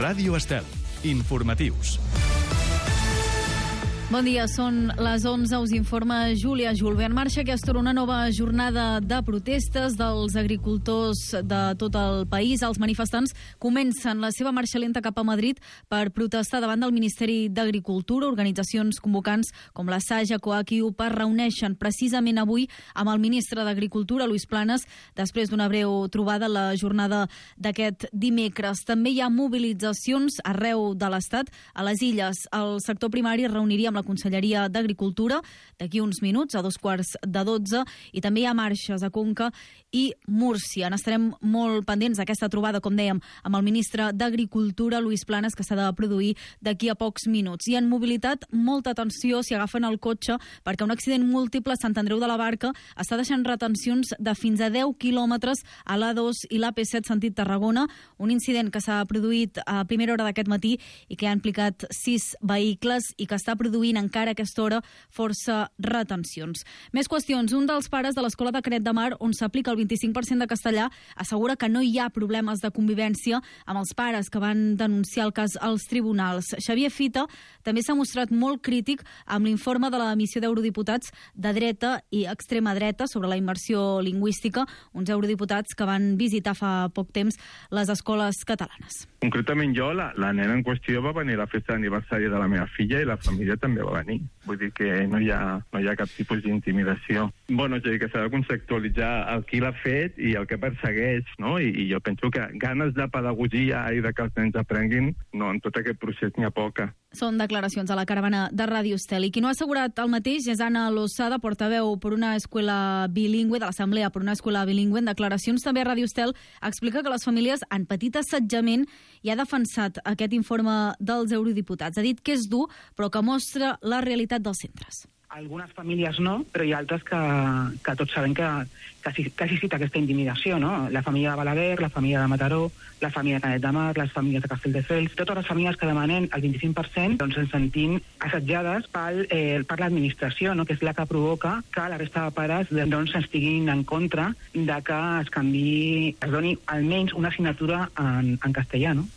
Ràdio Estel. Informatius. Bon dia, són les 11, us informa Júlia Julve. En marxa aquesta hora una nova jornada de protestes dels agricultors de tot el país. Els manifestants comencen la seva marxa lenta cap a Madrid per protestar davant del Ministeri d'Agricultura. Organitzacions convocants com la Saja, COAC i UPA reuneixen precisament avui amb el ministre d'Agricultura, Luis Planas, després d'una breu trobada la jornada d'aquest dimecres. També hi ha mobilitzacions arreu de l'Estat. A les Illes, el sector primari es reuniria amb la Conselleria d'Agricultura d'aquí uns minuts, a 11:45, i també hi ha marxes a Conca i Múrcia. N'estarem molt pendents d'aquesta trobada, com dèiem, amb el ministre d'Agricultura, Luis Planas, que s'ha de produir d'aquí a pocs minuts. I en mobilitat, molta atenció si agafen el cotxe, perquè un accident múltiple a Sant Andreu de la Barca està deixant retencions de fins a 10 quilòmetres a l'A2 i l'AP7 sentit Tarragona. Un incident que s'ha produït a primera hora d'aquest matí i que ha implicat 6 vehicles i que està produint encara a aquesta hora força retencions. Més qüestions. Un dels pares de l'Escola de Canet de Mar, on s'aplica el 25% de castellà, assegura que no hi ha problemes de convivència amb els pares que van denunciar el cas als tribunals. Xavier Fita també s'ha mostrat molt crític amb l'informe de la missió d'eurodiputats de dreta i extrema dreta sobre la immersió lingüística, uns eurodiputats que van visitar fa poc temps les escoles catalanes. Concretament jo, la nena en qüestió va venir a la festa d'aniversari de la meva filla i la família també va venir. Vull dir que no hi ha cap tipus d'intimidació. Bueno, és a dir, que s'ha de conceptualitzar el qui l'ha fet i el que persegueix, no? I jo penso que ganes de pedagogia i de que els nens aprenguin, no, en tot aquest procés n'hi ha poca. Són declaracions a la caravana de Ràdio Estel. I qui no ha assegurat el mateix és Anna Lozada, portaveu per una escola bilingüe, de l'Assemblea per una escola bilingüe. En declaracions també a Ràdio Estel explica que les famílies han patit assetjament i ha defensat aquest informe dels eurodiputats. Ha dit que és dur, però que mostra la realitat dels centres. Algunes famílies no, però hi ha altres que tots sabem que sí ha existit aquesta intimidació, no? La família de Balaguer, la família de Mataró, la família de Canet de Mar, les famílies de Castelldefels, totes les famílies que demanen el 25%, doncs ens sentim assetjades per l'administració, no? Que és la que provoca que la resta de pares doncs estiguin en contra de que es doni almenys una assignatura en castellà, no?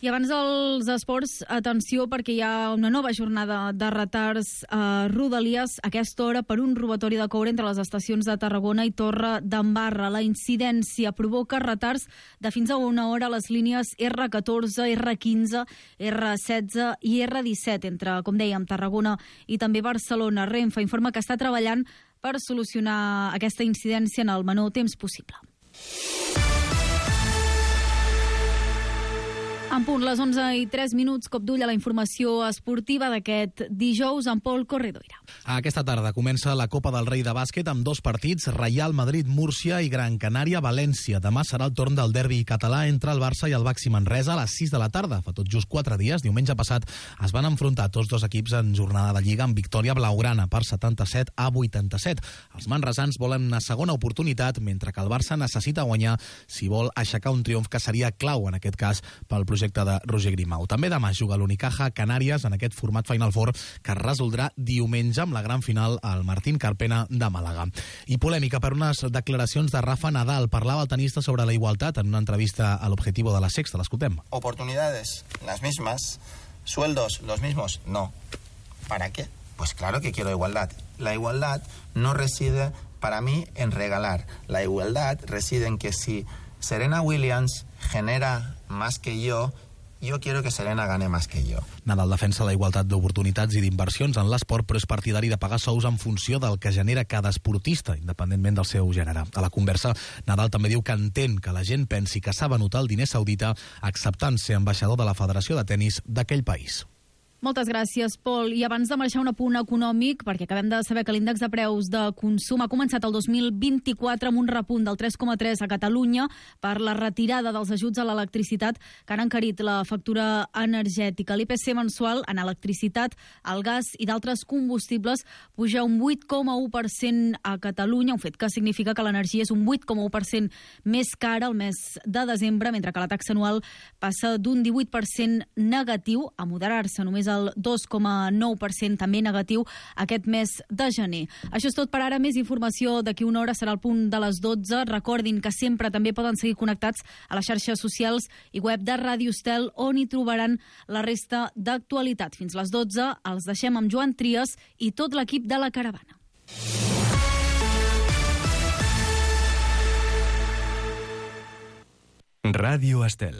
I abans dels esports, atenció, perquè hi ha una nova jornada de retards a Rodalies a aquesta hora per un robatori de coure entre les estacions de Tarragona i Torre d'Embarra. La incidència provoca retards de fins a una hora a les línies R14, R15, R16 i R17 entre, com dèiem, Tarragona i també Barcelona. Renfe informa que està treballant per solucionar aquesta incidència en el menor temps possible. En punt, les 11:03, cop d'ull a la informació esportiva d'aquest dijous amb Pol Corredoira. Aquesta tarda comença la Copa del Rei de bàsquet amb 2 partits, Reial Madrid-Múrcia i Gran Canària-València. Demà serà el torn del derbi català entre el Barça i el Baxi Manresa a les 6 de la tarda. Fa tot just 4 dies, diumenge passat, es van enfrontar tots dos equips en jornada de Lliga amb victòria blaugrana per 77-87. Els manresans volen una segona oportunitat, mentre que el Barça necessita guanyar si vol aixecar un triomf que seria clau, en aquest cas, pel projecte de Roger Grimau. També demà juga l'Unicaja Canàries en aquest format Final Four que es resoldrà diumenge amb la gran final al Martín Carpena de Màlaga. I polèmica per unes declaracions de Rafa Nadal. Parlava el tenista sobre la igualtat en una entrevista a l'Objetivo de la Sexta. L'escoltem. Oportunidades las mismas, sueldos los mismos, no. ¿Para qué? Pues claro que quiero igualdad. La igualdad no reside para mí en regalar. La igualdad reside en que si Serena Williams genera más que yo quiero que Serena gane más que yo. Nadal defensa la igualtat d'oportunitats i d'inversions en l'esport, però és partidari de pagar sous en funció del que genera cada esportista, independentment del seu gènere. A la conversa, Nadal també diu que entén que la gent pensi que s'ha venut el diner saudita acceptant ser ambaixador de la Federació de Tenis d'aquell país. Moltes gràcies, Pol. I abans de marxar un apunt econòmic, perquè acabem de saber que l'índex de preus de consum ha començat el 2024 amb un repunt del 3,3 a Catalunya per la retirada dels ajuts a l'electricitat que han encarit la factura energètica. L'IPC mensual en electricitat, el gas i d'altres combustibles puja un 8,1% a Catalunya, un fet que significa que l'energia és un 8,1% més cara el mes de desembre, mentre que la taxa anual passa d'un 18% negatiu a moderar-se només del 2,9%, també negatiu aquest mes de gener. Això és tot per ara. Més informació d'aquí una hora, serà al punt de les 12. Recordin que sempre també poden seguir connectats a les xarxes socials i web de Ràdio Estel, on hi trobaran la resta d'actualitat. Fins les 12 els deixem amb Joan Trias i tot l'equip de La Caravana. Radio Estel.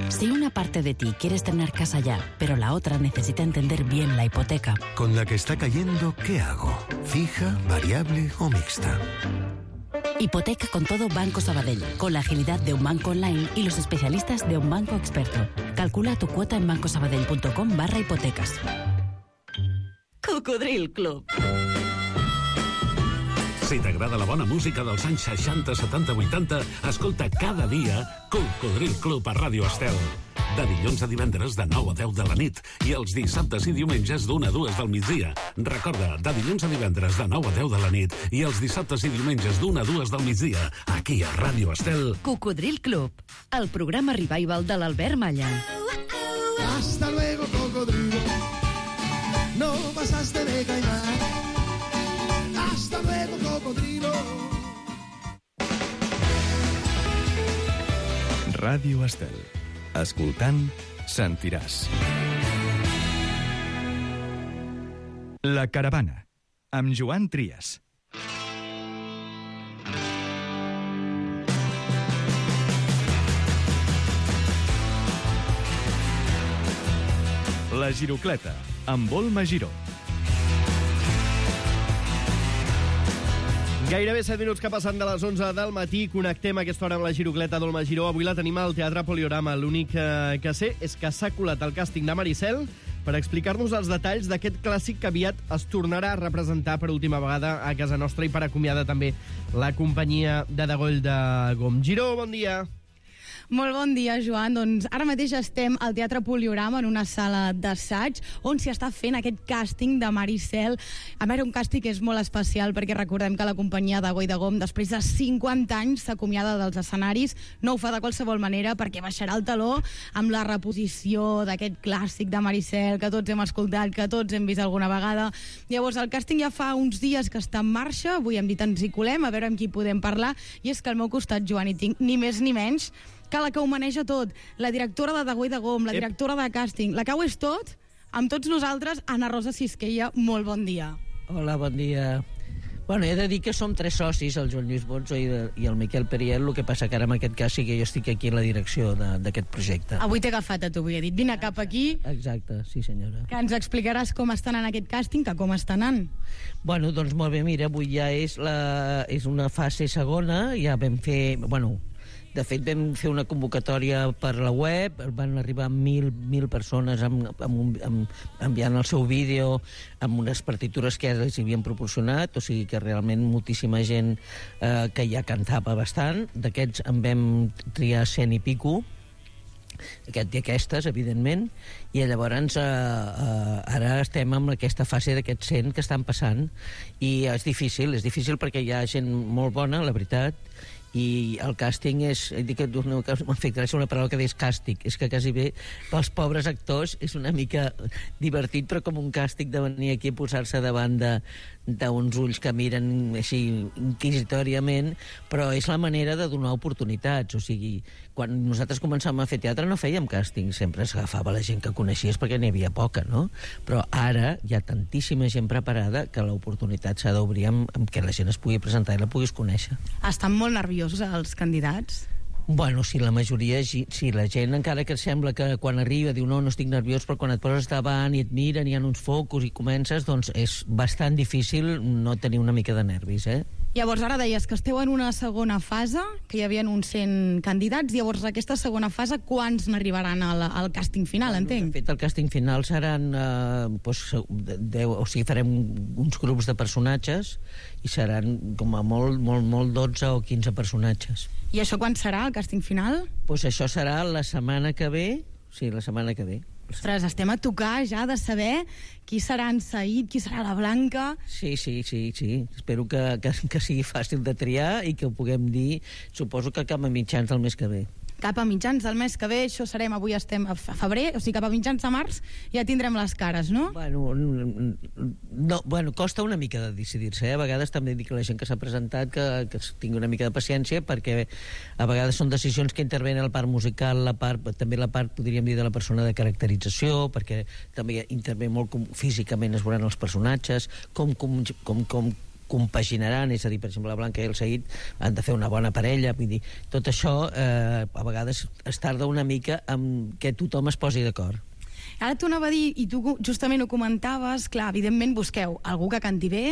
Si una parte de ti quieres tener casa ya, pero la otra necesita entender bien la hipoteca. Con la que está cayendo, ¿qué hago? ¿Fija, variable o mixta? Hipoteca con todo Banco Sabadell, con la agilidad de un banco online y los especialistas de un banco experto. Calcula tu cuota en bancosabadell.com/hipotecas. Cocodril Club. Si t'agrada la bona música dels anys 60, 70, 80, escolta cada dia Cocodril Club a Ràdio Estel. De dilluns a divendres de 9 a 10 de la nit i els dissabtes i diumenges d'1 a 2 del migdia. Recorda, de dilluns a divendres de 9 a 10 de la nit i els dissabtes i diumenges d'1 a 2 del migdia, aquí a Ràdio Estel. Cocodril Club, el programa revival de l'Albert Malla. Hasta luego, cocodrilo. No pasaste de caimán. Hasta luego, cocodrilo. Ràdio Estel. Escoltant, sentiràs. La Caravana, amb Joan Trias. La Girocleta, amb Olma Giró. Gairebé 7 minuts que passen de les 11 del matí. Connectem a aquesta hora amb la Girocleta d'Olma Giró. Avui la tenim al Teatre Poliorama. L'únic que sé és que s'ha colat el càsting de Maricel per explicar-nos els detalls d'aquest clàssic que aviat es tornarà a representar per última vegada a casa nostra i per acomiadar també la companyia de Degoll de Gom. Giró, bon dia. Molt bon dia, Joan. Doncs ara mateix estem al Teatre Poliorama, en una sala d'assaig, on s'hi està fent aquest càsting de Maricel. A veure, un càsting que és molt especial, perquè recordem que la companyia de Goi de Gom, després de 50 anys, s'acomiada dels escenaris. No ho fa de qualsevol manera, perquè baixarà el taló amb la reposició d'aquest clàssic de Maricel, que tots hem escoltat, que tots hem vist alguna vegada. Llavors, el càsting ja fa uns dies que està en marxa. Avui hem dit ens hi colem, a veure amb qui podem parlar. I és que al meu costat, Joan, hi tinc ni més ni menys que la que ho maneja tot, la directora de Goi de Gom, la directora de càsting, la que ho és tot, amb tots nosaltres, Ana Rosa Sisquella. Molt bon dia. Hola, bon dia. Bueno, he de dir que som 3 socis, el Joan Lluís Bonzo i el Miquel Periel, el que passa que ara en aquest cas sí que jo estic aquí en la direcció d'aquest projecte. Avui t'he agafat a tu, vull dir, vine cap aquí. Exacte, sí senyora. Que ens explicaràs com està anant aquest càsting, que com està anant. Bueno, doncs molt bé, mira, avui ja és una fase segona, ja vam fer, bueno, de fet vam fer una convocatòria per la web, van arribar 1.000 persones enviant el seu vídeo amb unes partitures que ja els havien proporcionat, o sigui que realment moltíssima gent que ja cantava bastant. D'aquests en vam triar 100 i pico, aquest i aquestes, evidentment, i llavors ara estem en aquesta fase d'aquests 100 que estan passant, i és difícil perquè hi ha gent molt bona, la veritat, i el càsting és, dic que m'ha fet gràcia una paraula que deies càstig, és que quasi bé pels pobres actors és una mica divertit, però com un càstig de venir aquí a posar-se davant d'uns ulls que miren així inquisitòriament, però és la manera de donar oportunitats. O sigui, quan nosaltres començàvem a fer teatre no fèiem càsting, sempre s'agafava la gent que coneixies perquè n'hi havia poca, no? Però ara hi ha tantíssima gent preparada que l'oportunitat s'ha d'obrir amb que la gent es pugui presentar i la puguis conèixer. Estan molt nerviosos els candidats? Bueno, si la majoria, si la gent encara que sembla que quan arriba diu no estic nerviós, però quan et poses davant i et miren, hi ha uns focus i comences, doncs és bastant difícil no tenir una mica de nervis, Llavors, ara deies que esteu en una segona fase, que hi havia uns 100 candidats. Llavors, aquesta segona fase, quants n'arribaran al càsting final, entenc? De fet, el càsting final seran 10, o sigui, farem uns grups de personatges i seran com a molt 12 o 15 personatges. I això quan serà, el càsting final? Doncs això serà la setmana que ve, sí, la setmana que ve. Ostres, estem a tocar ja de saber qui serà en Said, qui serà la Blanca. Sí. Espero que sigui fàcil de triar i que ho puguem dir, suposo que cap a mitjans del mes que ve. Cap a mitjans del mes que ve, això serem, avui estem a febrer, o sigui, cap a mitjans de març ja tindrem les cares, no? Bueno, costa una mica de decidir-se, A vegades també dic a la gent que s'ha presentat que tingui una mica de paciència, perquè a vegades són decisions que intervenen la part musical, també la part, podríem dir, de la persona de caracterització, perquè també intervé molt físicament es veuran els personatges, com compaginaran, és a dir, per exemple, la Blanca i el Said han de fer una bona parella, vull dir, tot això a vegades es tarda una mica en què tothom es posi d'acord. Ara t'ho anava a dir, i tu justament ho comentaves, clar, evidentment busqueu algú que canti bé,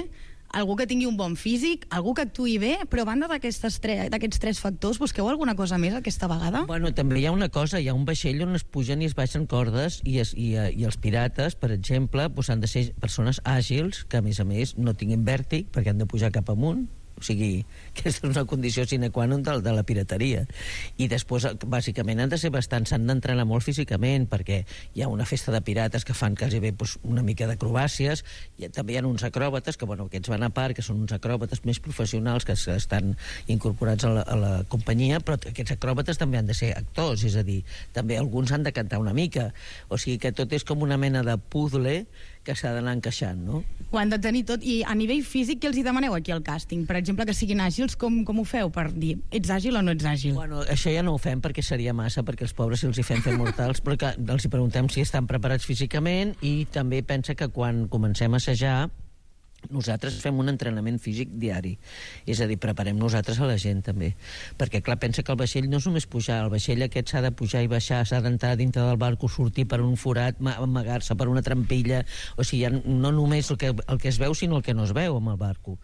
algú que tingui un bon físic, algú que actuï bé, però a banda d'aquests tres factors, busqueu alguna cosa més aquesta vegada? Bueno, també hi ha una cosa, hi ha un vaixell on es pugen i es baixen cordes i els pirates, per exemple, han de ser persones àgils, que a més no tinguin vèrtic, perquè han de pujar cap amunt. O sigui, aquesta és una condició sine qua non de la pirateria. I després, bàsicament, s'han d'entrenar molt físicament, perquè hi ha una festa de pirates que fan quasi bé una mica d'acrobàcies, i també hi ha uns acròbates, que aquests van a part, que són uns acròbates més professionals que estan incorporats a la companyia, però aquests acròbates també han de ser actors, és a dir, també alguns han de cantar una mica. O sigui que tot és com una mena de puzzle que s'ha d'anar encaixant, no? Ho han de tenir tot. I a nivell físic, què els hi demaneu aquí al càsting? Per exemple, que siguin àgils, com ho feu per dir ets àgil o no ets àgil? Bueno, això ja no ho fem perquè seria massa, perquè els pobres els hi fem fer mortals, però que els hi preguntem si estan preparats físicament, i també pensa que quan comencem a assajar nosaltres fem un entrenament físic diari, és a dir, preparem nosaltres a la gent també, perquè clar, pensa que el vaixell no és només pujar, el vaixell aquest s'ha de pujar i baixar, s'ha d'entrar dintre del barco, sortir per un forat, amagar-se per una trampilla, o sigui, no només el que es veu, sinó el que no es veu amb el barco,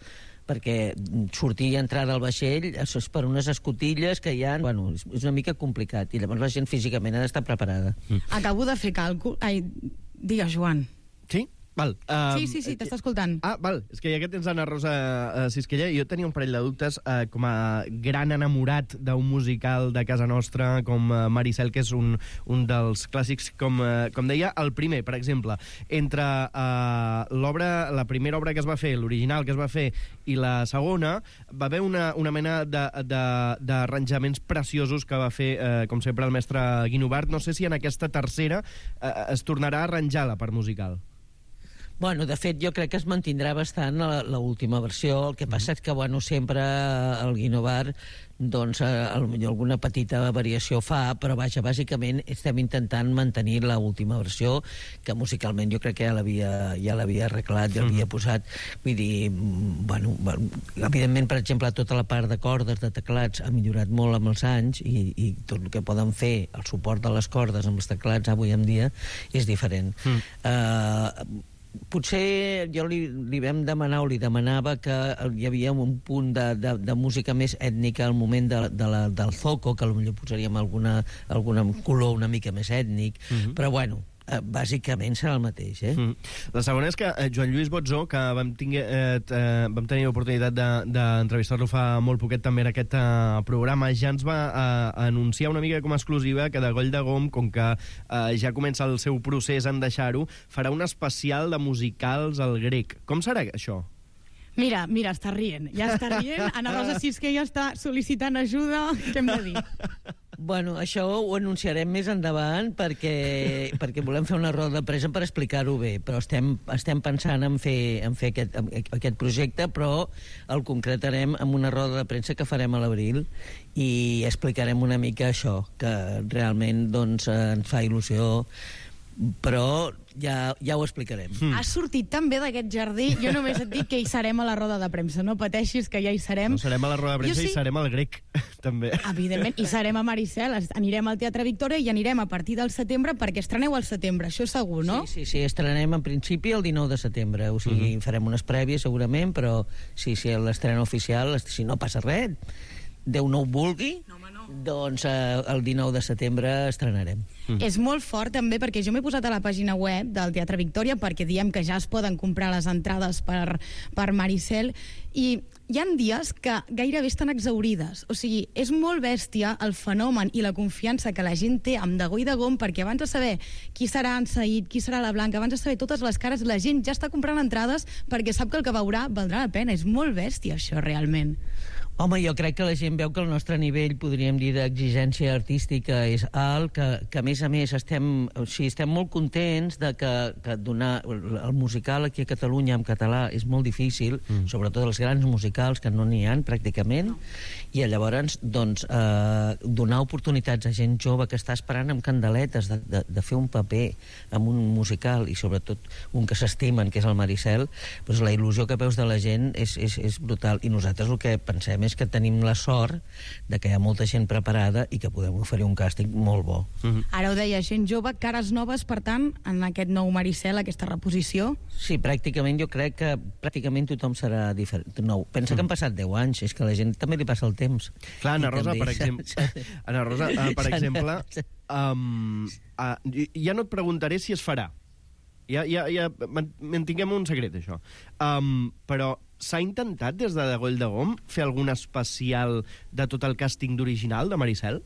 perquè sortir i entrar del vaixell és per unes escotilles que hi ha... Bueno, és una mica complicat, i llavors la gent físicament ha d'estar preparada. Acabo de fer càlcul... Ai, digues, Joan. Sí? Val. Sí, t'està escoltant. Val. És que ja que tens Anna Rosa Sisquella, jo tenia un parell de dubtes com a gran enamorat d'un musical de casa nostra com Maricel, que és un dels clàssics, com deia, el primer, per exemple, entre la primera obra que es va fer, l'original que es va fer, i la segona, va haver una mena d'arranjaments preciosos que va fer, com sempre, el mestre Guinovart. No sé si en aquesta tercera es tornarà a arranjar la part musical. Bueno, de fet, jo crec que es mantindrà bastant l'última versió. El que passa és que, bueno, sempre el Guinovart, doncs, potser alguna petita variació fa, però, vaja, bàsicament estem intentant mantenir l'última versió, que musicalment jo crec que ja l'havia arreglat, ja l'havia posat. Vull dir, bueno, evidentment, per exemple, tota la part de cordes, de teclats, ha millorat molt amb els anys, i tot el que poden fer, el suport de les cordes amb els teclats avui en dia, és diferent. Potser jo li vam demanar, o li demanava, que hi havia un punt de música més ètnica al moment del zoco, que potser posaríem algun color una mica més ètnic, però bueno, bàsicament serà el mateix, La segona és que Joan Lluís Botzó, que vam tenir l'oportunitat d'entrevistar-lo fa molt poquet també en aquest programa, ja ens va anunciar una mica com a exclusiva que de Goll de Gom, com que ja comença el seu procés en deixar-ho, farà un especial de musicals al grec. Com serà això? Mira, està rient. Ja està rient. Anna Rosa Sisquella està sol·licitant ajuda. Què hem de dir? Bueno, això ho anunciarem més endavant perquè volem fer una roda de premsa per explicar-ho bé, però estem pensant en fer aquest projecte, però el concretarem en una roda de premsa que farem a l'abril i explicarem una mica això, que realment doncs, ens fa il·lusió, però ja ho explicarem. Has sortit tan bé d'aquest jardí. Jo només et dic que hi serem a la roda de premsa. No pateixis, que ja hi serem. No serem a la roda de premsa i serem al grec, també. Evidentment, i serem a Maricel. Anirem al Teatre Victòria i anirem a partir del setembre, perquè estreneu al setembre, això segur, no? Sí, estrenem en principi el 19 de setembre. O sigui, farem unes prèvies segurament, però sí, l'estrena oficial, si no passa res, Déu no ho vulgui, doncs el 19 de setembre estrenarem. És molt fort també perquè jo m'he posat a la pàgina web del Teatre Victòria perquè diem que ja es poden comprar les entrades per Maricel i hi ha dies que gairebé estan exaurides. O sigui, és molt bèstia el fenomen i la confiança que la gent té amb Degó i Degom, perquè abans de saber qui serà en Saïd, qui serà la Blanca, abans de saber totes les cares, la gent ja està comprant entrades perquè sap que el que veurà valdrà la pena. És molt bèstia, això, realment. Home, jo crec que la gent veu que el nostre nivell, podríem dir, d'exigència artística és alt, que a més estem molt contents de que donar el musical aquí a Catalunya en català és molt difícil, sobretot els grans musicals, que no n'hi ha pràcticament, i llavors doncs, donar oportunitats a gent jove que està esperant amb candeletes de fer un paper en un musical, i sobretot un que s'estimen, que és el Maricel, doncs la il·lusió que veus de la gent és brutal, i nosaltres el que pensem és que tenim la sort de que hi ha molta gent preparada i que podem oferir un càsting molt bo. Ara ho deia, gent jove, cares noves, per tant, en aquest nou Maricel, aquesta reposició? Sí, pràcticament jo crec que pràcticament tothom serà diferent. Nou. Pensa que han passat 10 anys, és que a la gent també li passa el temps. Clar, Ana Rosa, per exemple, ja no et preguntaré si es farà. Ja mantinguem un secret, això. Però s'ha intentat des de Degó i Degom fer algun especial de tot el càsting d'original de Maricel?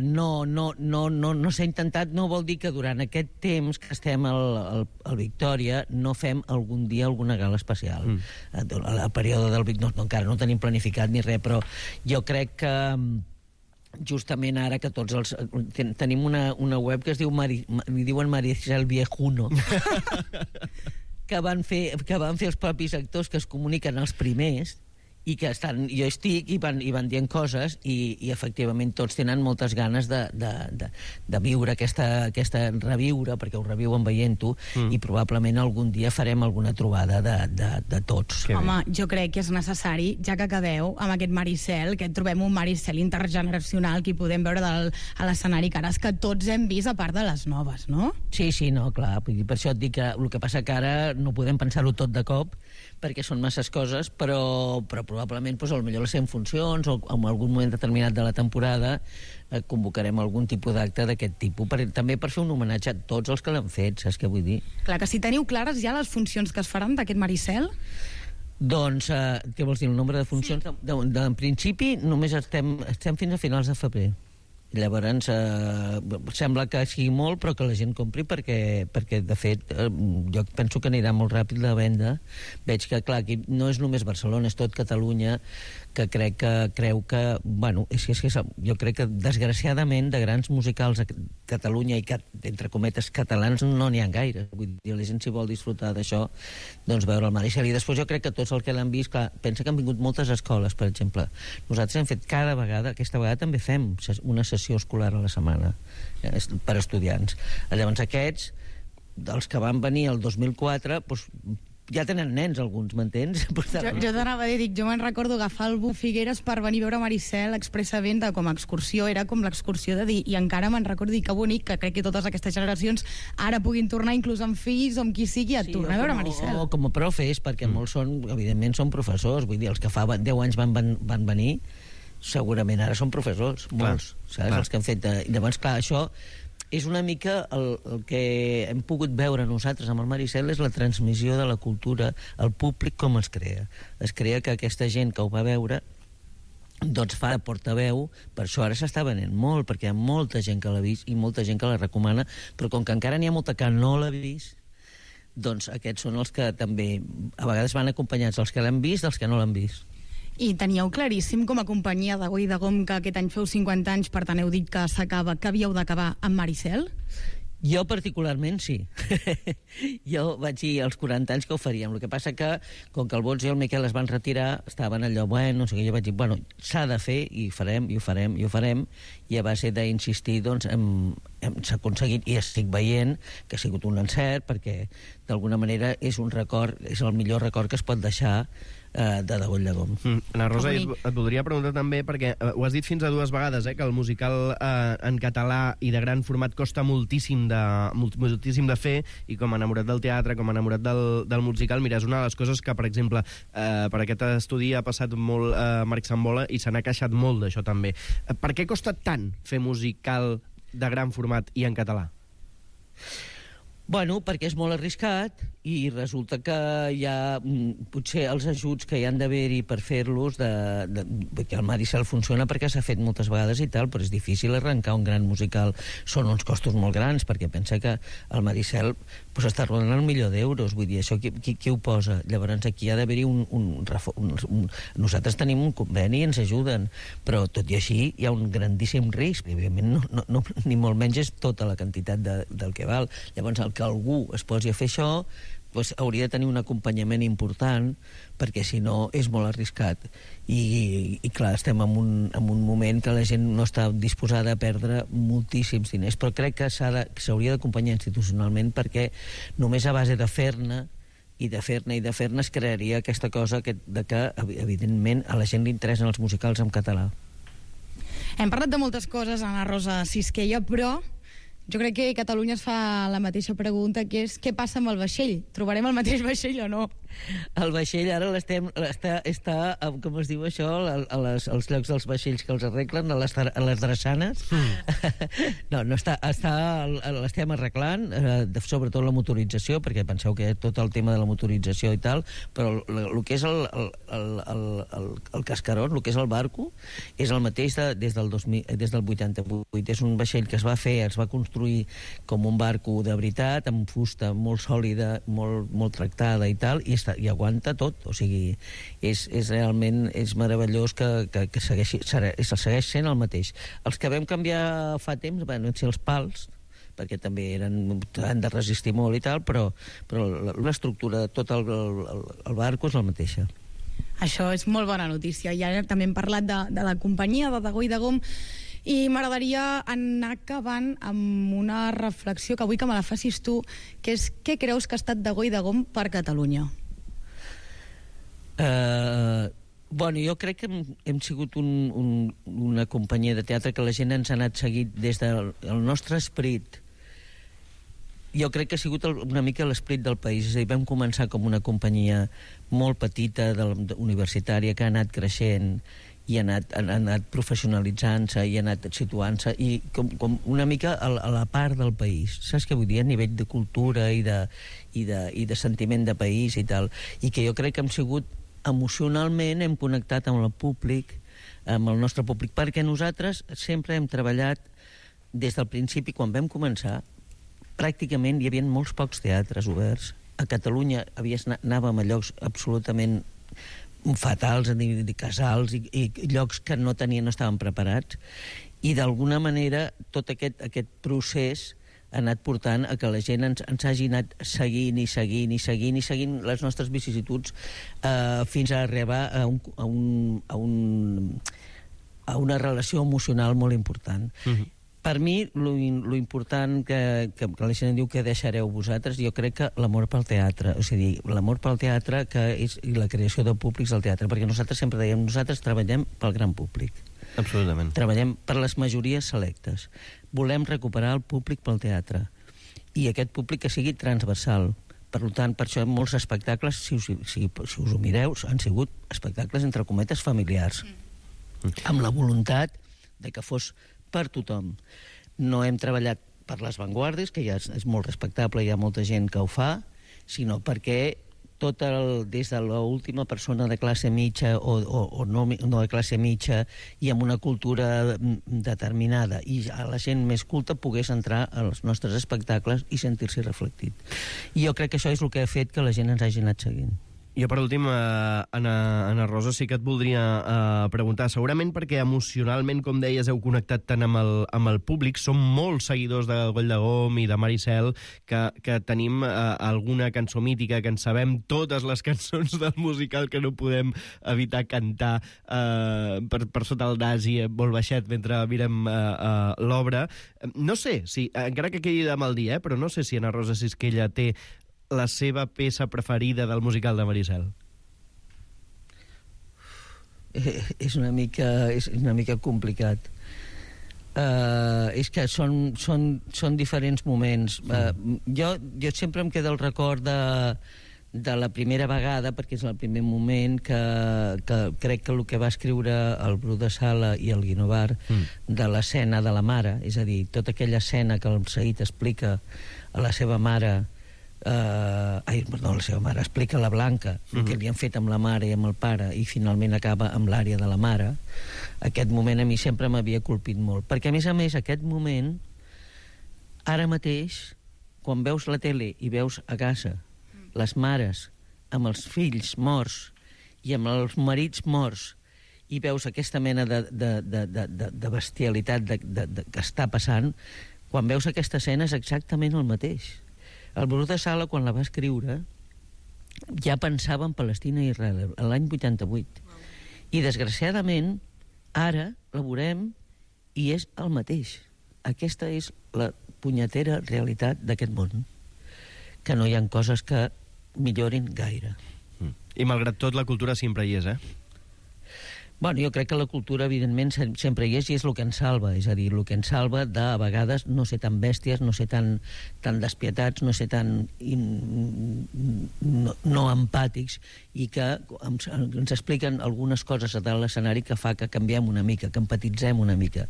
No s'ha intentat. No vol dir que durant aquest temps que estem al Victòria no fem algun dia alguna gala especial. El període del Victòria encara no tenim planificat ni res, però jo crec que justament ara que tots els... Tenim una web que es diu li diuen Maricel Viejuno que van fer els propis actors que es comuniquen els primers i que jo estic i van dient coses i efectivament tots tenen moltes ganes de viure reviure, perquè ho reviuen veient-ho, i probablement algun dia farem alguna trobada de tots. Home, jo crec que és necessari, ja que acabeu amb aquest Maricel, que trobem un Maricel intergeneracional que hi podem veure a l'escenari cares que tots hem vist a part de les noves, no? Sí, no, clar, per això et dic que el que passa que ara no podem pensar-ho tot de cop perquè són masses coses, però probablement potser les 100 funcions o en algun moment determinat de la temporada convocarem algun tipus d'acte d'aquest tipus, també per fer un homenatge a tots els que l'han fet, saps què vull dir? Clar, que si teniu clares ja les funcions que es faran d'aquest Maricel? Doncs, què vols dir, el nombre de funcions? Sí. En principi només estem fins a finals de febrer. Llavors sembla que sigui molt però que la gent compri perquè de fet jo penso que anirà molt ràpid la venda. Veig que clar, aquí no és només Barcelona, és tot Catalunya que creu que bueno, jo crec que desgraciadament de grans musicals a Catalunya i que entre cometes catalans no n'hi ha gaire, vull dir, la gent si vol disfrutar d'això doncs veure el Maricel. I després jo crec que tots els que l'han vist, clar, pensa que han vingut moltes escoles, per exemple. Nosaltres hem fet cada vegada, aquesta vegada també fem una sessió escolar a la setmana per estudiants. Llavors aquests, dels que van venir el 2004, doncs ja tenen nens alguns, m'entens? Jo t'anava a dir, jo me'n recordo agafar el bus Figueres per venir a veure Maricel expressament com a excursió, era com l'excursió de dir, i encara me'n recordo que bonic que crec que totes aquestes generacions ara puguin tornar inclús amb fills o amb qui sigui a tornar a veure Maricel. O com a profes, perquè molts evidentment són professors, vull dir, els que fa 10 anys van venir segurament ara són professors, molts, saps? Els que han fet... Llavors, clar, això és una mica el que hem pogut veure nosaltres amb el Maricel, és la transmissió de la cultura al públic, com es crea. Es crea que aquesta gent que ho va veure doncs fa de portaveu, per això ara s'està venent molt, perquè hi ha molta gent que l'ha vist i molta gent que la recomana, però com que encara n'hi ha molta que no l'ha vist, doncs aquests són els que també a vegades van acompanyats dels que l'han vist dels que no l'han vist. I teníeu claríssim com a companyia de Degó i Degom que aquest any feu 50 anys, per tant heu dit que s'acaba, que havíeu d'acabar amb Maricel? Jo particularment sí. Jo vaig dir als 40 anys que ho faríem. El que passa que, com que el Bons i el Miquel es van retirar, estaven allò, bueno, no sé què, jo vaig dir, bueno, s'ha de fer, i ho farem, i a base d'insistir doncs, s'ha aconseguit, i estic veient que ha sigut un encert, perquè d'alguna manera és un record, és el millor record que es pot deixar de Dagoll de Gom. Ana Rosa, et voldria preguntar també, perquè ho has dit fins a 2 vegades, que el musical en català i de gran format costa moltíssim de fer, i com a enamorat del teatre, com a enamorat del musical, mira, és una de les coses que, per exemple, per aquest estudi ha passat molt Marc Sambola i se n'ha queixat molt d'això també. Per què costa tant fer musical de gran format i en català? Bueno, perquè és molt arriscat i resulta que hi ha potser els ajuts que hi han d'haver-hi per fer-los, que el Maricel funciona perquè s'ha fet moltes vegades i tal, però és difícil arrencar un gran musical. Són uns costos molt grans, perquè pensa que el Maricel pues, està rodant el €1.000.000, vull dir, això qui ho posa? Llavors aquí ha d'haver-hi nosaltres tenim un conveni i ens ajuden, però tot i així hi ha un grandíssim risc, i evidentment ni molt menys és tota la quantitat del que val. Llavors el que algú es posi a fer això doncs hauria de tenir un acompanyament important, perquè si no és molt arriscat i clar, estem en un moment que la gent no està disposada a perdre moltíssims diners, però crec que s'hauria d'acompanyar institucionalment, perquè només a base de fer-ne i de fer-ne es crearia aquesta cosa que evidentment a la gent li interessen els musicals en català. Hem parlat de moltes coses, Ana Rosa Sisquella, però jo crec que Catalunya es fa la mateixa pregunta, que és què passa amb el vaixell? Trobarem el mateix vaixell o no? El vaixell ara està, com es diu això, als llocs dels vaixells que els arreglen, a les drassanes. No està, l'estem arreglant, sobretot la motorització, perquè penseu que tot el tema de la motorització i tal, però el que és el cascaró, el que és el barco, és el mateix des del 88. És un vaixell que es va construir com un barco de veritat, amb fusta molt sòlida, molt tractada i tal, i aguanta tot, o sigui, és realment meravellós que segueix sent el mateix. Els que vam canviar fa temps van ser els pals, perquè també han de resistir molt i tal, però l'estructura de tot el barco és la mateixa. Això és molt bona notícia. I ara també hem parlat de la companyia de Dagoll de Gom, i m'agradaria anar acabant amb una reflexió que vull que me la facis tu, que és què creus que ha estat Dagoll de Gom per Catalunya? Bueno, jo crec que hem sigut una companyia de teatre que la gent ens ha anat seguint des del nostre esperit. Jo crec que ha sigut una mica l'esperit del país. És a dir, vam començar com una companyia molt petita, universitària, que ha anat creixent i ha anat professionalitzant-se i ha anat situant-se i com una mica a la part del país, saps què vull dir? A nivell de cultura i de sentiment de país i tal, i que jo crec que hem sigut emocionalment, hem connectat amb el públic, amb el nostre públic, perquè nosaltres sempre hem treballat des del principi. Quan vam començar pràcticament hi havia molts pocs teatres oberts a Catalunya, anàvem a llocs absolutament fatals, casals i llocs que no estaven preparats, i d'alguna manera tot aquest procés ha anat portant a que la gent ens hagi anat seguint les nostres vicissituds fins a arribar a una relació emocional molt important. Per mi, lo important que la gent diu que deixareu vosaltres, jo crec que l'amor pel teatre, o sigui, l'amor pel teatre i la creació de públics del teatre, perquè nosaltres sempre dèiem, nosaltres treballem pel gran públic. Absolutament. Treballem per les majories selectes. Volem recuperar el públic pel teatre, i aquest públic que sigui transversal. Per tant, per això molts espectacles, si us ho mireu, han sigut espectacles, entre cometes, familiars, amb la voluntat de que fos per tothom. No hem treballat per les vanguardies, que ja és molt respectable, hi ha molta gent que ho fa, sinó perquè des de l'última persona de classe mitja o no de classe mitja i amb una cultura determinada i a la gent més culta pogués entrar als nostres espectacles i sentir-s'hi reflectit. I jo crec que això és el que ha fet que la gent ens hagi anat seguint. Jo, per últim, Anna Rosa, sí que et voldria preguntar, segurament perquè emocionalment, com deies, heu connectat tant amb el públic, som molts seguidors de Goll de Gom i de Maricel, que tenim alguna cançó mítica, que en sabem totes les cançons del musical que no podem evitar cantar per sota el nas i molt baixet mentre mirem l'obra. No sé, si, encara que quedi de mal dir, però no sé si Anna Rosa Sisquella té la seva peça preferida del musical de Maricel. És una mica complicat. És que són diferents moments. Jo sempre em queda el record de la primera vegada, perquè és el primer moment que crec que el que va escriure el Bru de Sala i el Guinovar de l'escena de la mare, és a dir, tota aquella escena que el Said explica a la seva mare, explica a la Blanca el que li han fet amb la mare i amb el pare i finalment acaba amb l'àrea de la mare. Aquest moment a mi sempre m'havia colpit molt, perquè a més aquest moment, ara mateix, quan veus la tele i veus a casa les mares amb els fills morts i amb els marits morts i veus aquesta mena de bestialitat que està passant, quan veus aquesta escena és exactament el mateix. El Bru de Sala, quan la va escriure, ja pensava en Palestina i Israel, l'any 88. I, desgraciadament, ara la veurem i és el mateix. Aquesta és la punyetera realitat d'aquest món, que no hi ha coses que millorin gaire. I, malgrat tot, la cultura sempre hi és, Bueno, jo crec que la cultura, evidentment, sempre hi és i és el que ens salva. És a dir, el que ens salva de, a vegades, no ser tan bèsties, no ser tan despietats, no ser tan no empàtics i que ens expliquen algunes coses a dalt l'escenari que fa que canviem una mica, que empatitzem una mica.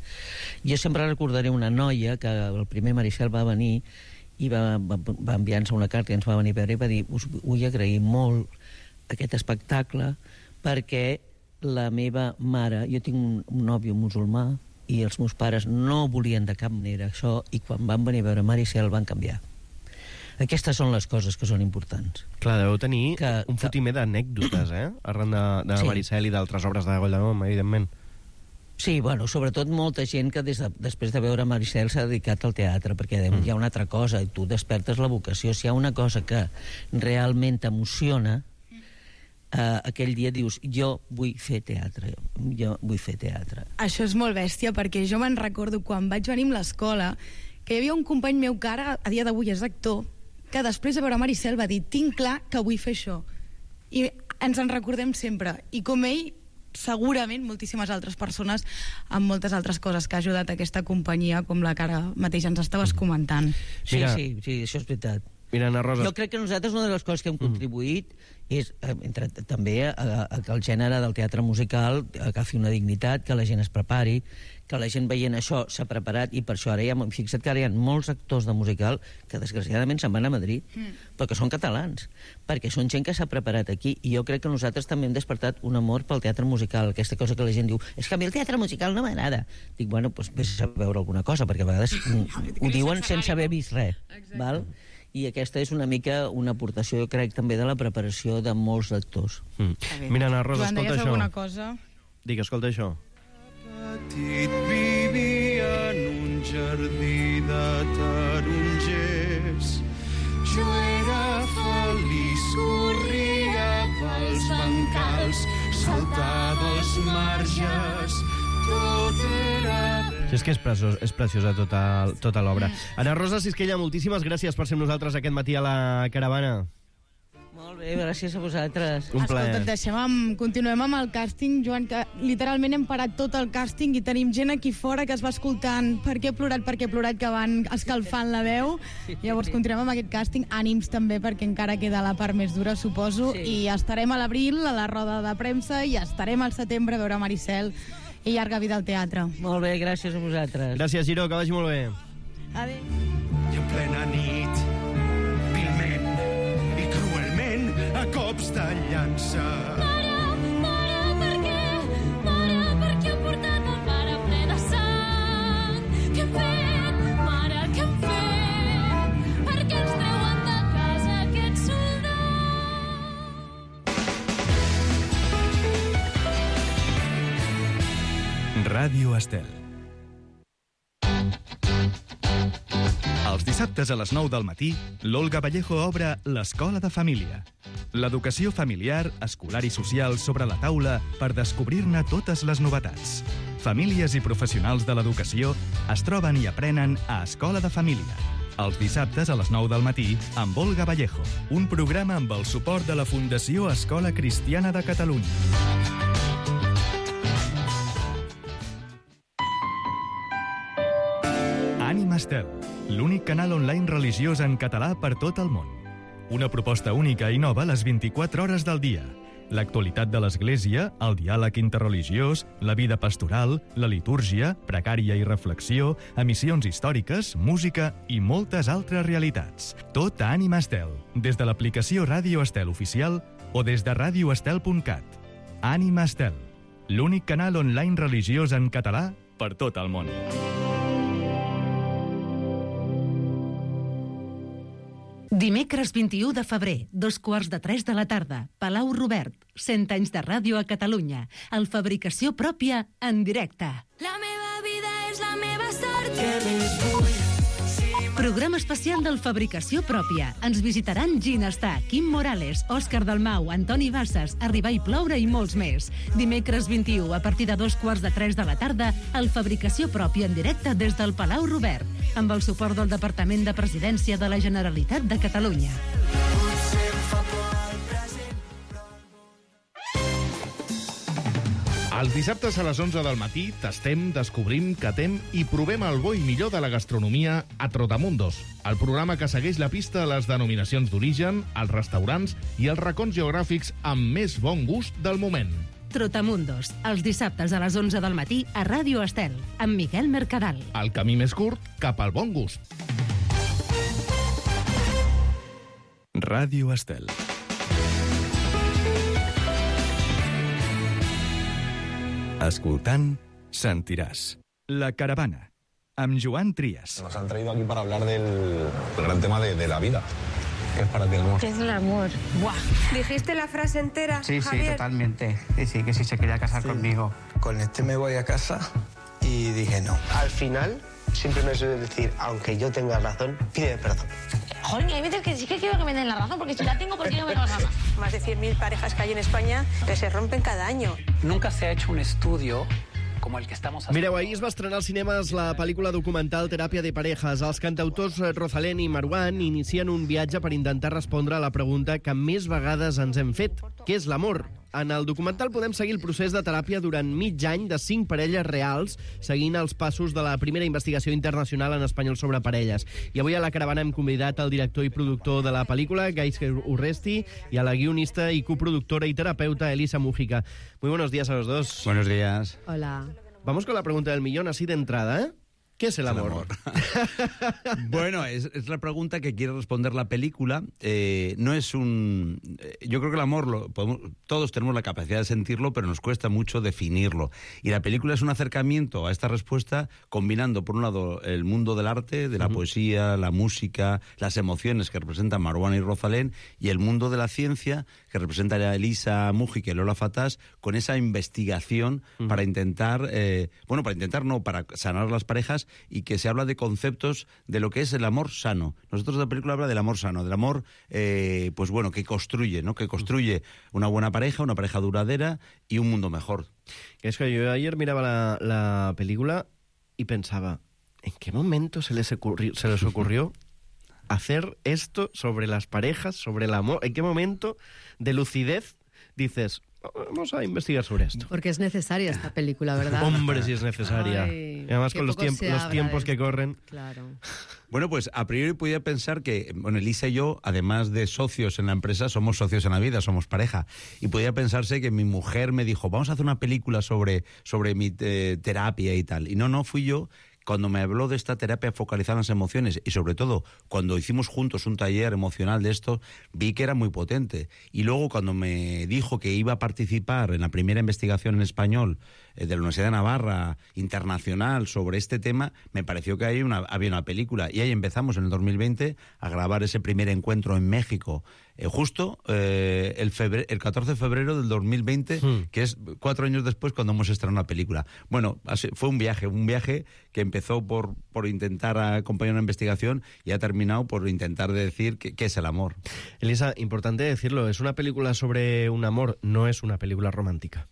Jo sempre recordaré una noia que el primer Maricel va venir i va enviar-nos una carta i ens va venir a veure i va dir: us vull agrair molt aquest espectacle perquè la meva mare, jo tinc un nòvio musulmà i els meus pares no volien de cap manera això i quan van venir a veure Maricel van canviar. Aquestes són les coses que són importants. Clar, deveu tenir un fotimer d'anècdotes, arran de Maricel i d'altres obres de Goll de Gom, evidentment. Sí, bueno, sobretot molta gent que després de veure Maricel s'ha dedicat al teatre, perquè hi ha una altra cosa, i tu despertes la vocació. Si hi ha una cosa que realment t'emociona, aquell dia dius: jo vull fer teatre, jo vull fer teatre. Això és molt bèstia, perquè jo me'n recordo quan vaig venir a l'escola que hi havia un company meu que ara a dia d'avui és actor, que després de veure Maricel va dir: tinc clar que vull fer això. I ens en recordem sempre, i com ell segurament moltíssimes altres persones amb moltes altres coses que ha ajudat aquesta companyia, com la que ara mateix ens estaves comentant. Sí, això és veritat. Mira, Anna Rosa, jo crec que nosaltres una de les coses que hem contribuït és també a que el gènere del teatre musical agafi una dignitat, que la gent es prepari, que la gent veient això s'ha preparat, i per això ara fixa't que ara hi ha molts actors de musical que desgraciadament se'n van a Madrid, però que són catalans, perquè són gent que s'ha preparat aquí, i jo crec que nosaltres també hem despertat un amor pel teatre musical, aquesta cosa que la gent diu: és que a mi el teatre musical no m'agrada. Dic, bueno, doncs vés a veure alguna cosa, perquè a vegades ho diuen sense haver vist res, val? I aquesta és una mica una aportació, jo crec, també de la preparació de molts actors. Mira, Anna Rosa, escolta això. alguna cosa? Dic, escolta això. Petit vivia en un jardí de tarongers. Jo era feliç, corria pels bancals, saltava els marges, tot era... Sí, és que és preciosa tota l'obra. Anna Rosa Sisquella, moltíssimes gràcies per ser amb nosaltres aquest matí a la Caravana. Molt bé, gràcies a vosaltres. Un plaer. Escolta, continuem amb el càsting, Joan, que literalment hem parat tot el càsting i tenim gent aquí fora que es va escoltant per què he plorat, que van escalfant la veu. Llavors continuem amb aquest càsting, ànims també, perquè encara queda la part més dura, suposo, i estarem a l'abril a la roda de premsa i estarem al setembre a veure Maricel i llarga vida al teatre. Molt bé, gràcies a vosaltres. Gràcies, Giró, que vagi molt bé. Adéu. I en plena nit, vilment i cruelment, a cops de llança. Mare, per què? Mare, per què heu portat el pare ple de sang? Què hem fet? Mare, què hem fet? Per què ens treuen de casa aquests soldats? Ràdio Estel. Els dissabtes a les 9 del matí, l'Olga Vallejo obre l'Escola de Família. L'educació familiar, escolar i social sobre la taula per descobrir-ne totes les novetats. Famílies i professionals de l'educació es troben i aprenen a Escola de Família. Els dissabtes a les 9 del matí amb Olga Vallejo, un programa amb el suport de la Fundació Escola Cristiana de Catalunya. Ànima Estel, l'únic canal online religiós en català per tot el món. Una proposta única i nova a les 24 hores del dia. L'actualitat de l'Església, el diàleg interreligiós, la vida pastoral, la litúrgia, precària i reflexió, emissions històriques, música i moltes altres realitats. Tot a Ànima Estel, des de l'aplicació Ràdio Estel oficial o des de radioestel.cat. Ànima Estel, l'únic canal online religiós en català per tot el món. Dimecres 21 de febrer, 2:15 de la tarda, Palau Robert, 100 anys de ràdio a Catalunya, el Fabricació Pròpia en directe. La meva vida és la meva sort. Què més vull? Programa especial del Fabricació Pròpia. Ens visitaran Ginestar, Quim Morales, Òscar Dalmau, Antoni Bassas, Arribar i ploure i molts més. Dimecres 21, a partir de 2:15 de la tarda, el Fabricació Pròpia en directe des del Palau Robert, amb el suport del Departament de Presidència de la Generalitat de Catalunya. Els dissabtes a les 11 del matí tastem, descobrim, catem i provem el bo i millor de la gastronomia a Trotamundos, el programa que segueix la pista a les denominacions d'origen, els restaurants i els racons geogràfics amb més bon gust del moment. Trotamundos, els dissabtes a les 11 del matí a Ràdio Estel, amb Miquel Mercadal. El camí més curt cap al bon gust. Ràdio Estel. Escoltant, sentiràs. La caravana, amb Joan Trias. Nos han traído aquí para hablar del gran tema de la vida. ¿Qué es para ti el amor? ¿Qué es el amor? ¡Buah! ¿Dijiste la frase entera, Sí, Javier? sí, totalmente. Sí, que sí se quería casar conmigo. Con este me voy a casa y dije no. Al final, siempre me suele decir, aunque yo tenga razón, pide perdón. Joder, hay veces que sí que quiero que me den la razón, porque si la tengo, ¿por qué no me la razón? Más de 100.000 parejas que hay en España que se rompen cada año. Nunca se ha hecho un estudio como el que estamos haciendo. Mireu, ahir es va estrenar als cinemes la pel·lícula documental Teràpia de parejas. Els cantautors Rosalén i Marwan inicien un viatge per intentar respondre a la pregunta que més vegades ens hem fet. Què és l'amor? En el documental podem seguir el procés de teràpia durant mig any de 5 parelles reals, seguint els passos de la primera investigació internacional en espanyol sobre parelles. I avui a la caravana hem convidat el director i productor de la pel·lícula, Gaizka Urresti, y a la guionista y coproductora y terapeuta, Elisa Mújica. Muy buenos días a los dos. Buenos días. Hola. Vamos con la pregunta del millón, así de entrada, ¿eh? ¿Qué es el amor? Bueno, es la pregunta que quiere responder la película. No es un... Yo creo que el amor, todos tenemos la capacidad de sentirlo, pero nos cuesta mucho definirlo. Y la película es un acercamiento a esta respuesta, combinando, por un lado, el mundo del arte, de la poesía, la música, las emociones que representan Marwan y Rosalén, y el mundo de la ciencia, que representa a Elisa Mújica y Lola Fatás, con esa investigación para intentar... para sanar las parejas, y que se habla de conceptos de lo que es el amor sano. Nosotros la película habla del amor sano, del amor que construye, ¿no? Que construye una buena pareja, una pareja duradera y un mundo mejor. Es que yo ayer miraba la película y pensaba, ¿en qué momento se les ocurrió hacer esto sobre las parejas, sobre el amor? ¿En qué momento de lucidez dices, vamos a investigar sobre esto? Porque es necesaria esta película, ¿verdad? Hombre, sí es necesaria. Ay, y además que con los poco se habla tiempos de que esto. corren. Claro. Bueno, pues a priori podía pensar que, Elisa y yo, además de socios en la empresa, somos socios en la vida, somos pareja. Y podía pensarse que mi mujer me dijo, vamos a hacer una película sobre mi terapia y tal. Y no, fui yo. Cuando me habló de esta terapia focalizada en las emociones y sobre todo cuando hicimos juntos un taller emocional de esto, vi que era muy potente. Y luego cuando me dijo que iba a participar en la primera investigación en español de la Universidad de Navarra internacional sobre este tema, me pareció que había una película. Y ahí empezamos en el 2020 a grabar ese primer encuentro en México justo el 14 de febrero del 2020, que es 4 años después cuando hemos estrenado una película. Bueno, fue un viaje que empezó por intentar acompañar una investigación y ha terminado por intentar decir qué es el amor. Elisa, importante decirlo, es una película sobre un amor, no es una película romántica.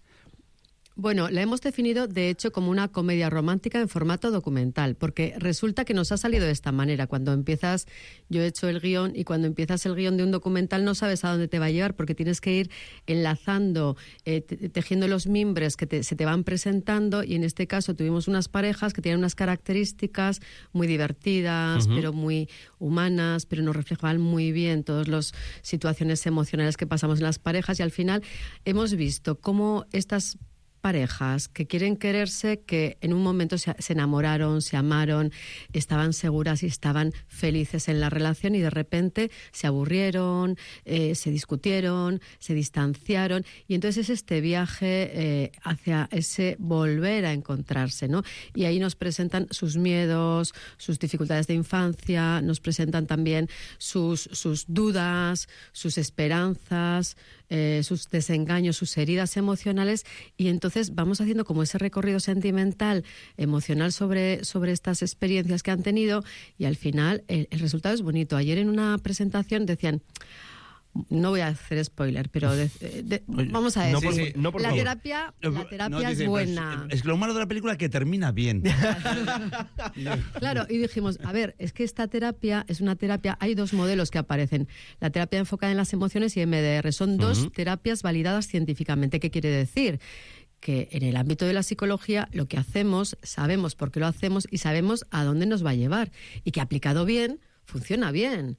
Bueno, la hemos definido, de hecho, como una comedia romántica en formato documental, porque resulta que nos ha salido de esta manera. Cuando empiezas, yo he hecho el guión, y cuando empiezas el guión de un documental no sabes a dónde te va a llevar, porque tienes que ir enlazando, tejiendo los mimbres que se te van presentando, y en este caso tuvimos unas parejas que tienen unas características muy divertidas, pero muy humanas, pero nos reflejaban muy bien todas las situaciones emocionales que pasamos en las parejas, y al final hemos visto cómo estas parejas que quieren quererse, que en un momento se enamoraron, se amaron, estaban seguras y estaban felices en la relación, y de repente se aburrieron, se discutieron, se distanciaron, y entonces es este viaje hacia ese volver a encontrarse, ¿no? Y ahí nos presentan sus miedos, sus dificultades de infancia, nos presentan también sus dudas, sus esperanzas, sus desengaños, sus heridas emocionales, y entonces vamos haciendo como ese recorrido sentimental, emocional sobre estas experiencias que han tenido, y al final el resultado es bonito. Ayer en una presentación decían, no voy a hacer spoiler, pero vamos a decir, la terapia es buena. Es que lo malo de la película es que termina bien. Claro, y dijimos, a ver, es que esta terapia es una terapia, hay 2 modelos que aparecen, la terapia enfocada en las emociones y MDR, son 2 terapias validadas científicamente. ¿Qué quiere decir? Que en el ámbito de la psicología lo que hacemos, sabemos por qué lo hacemos y sabemos a dónde nos va a llevar, y que aplicado bien, funciona bien.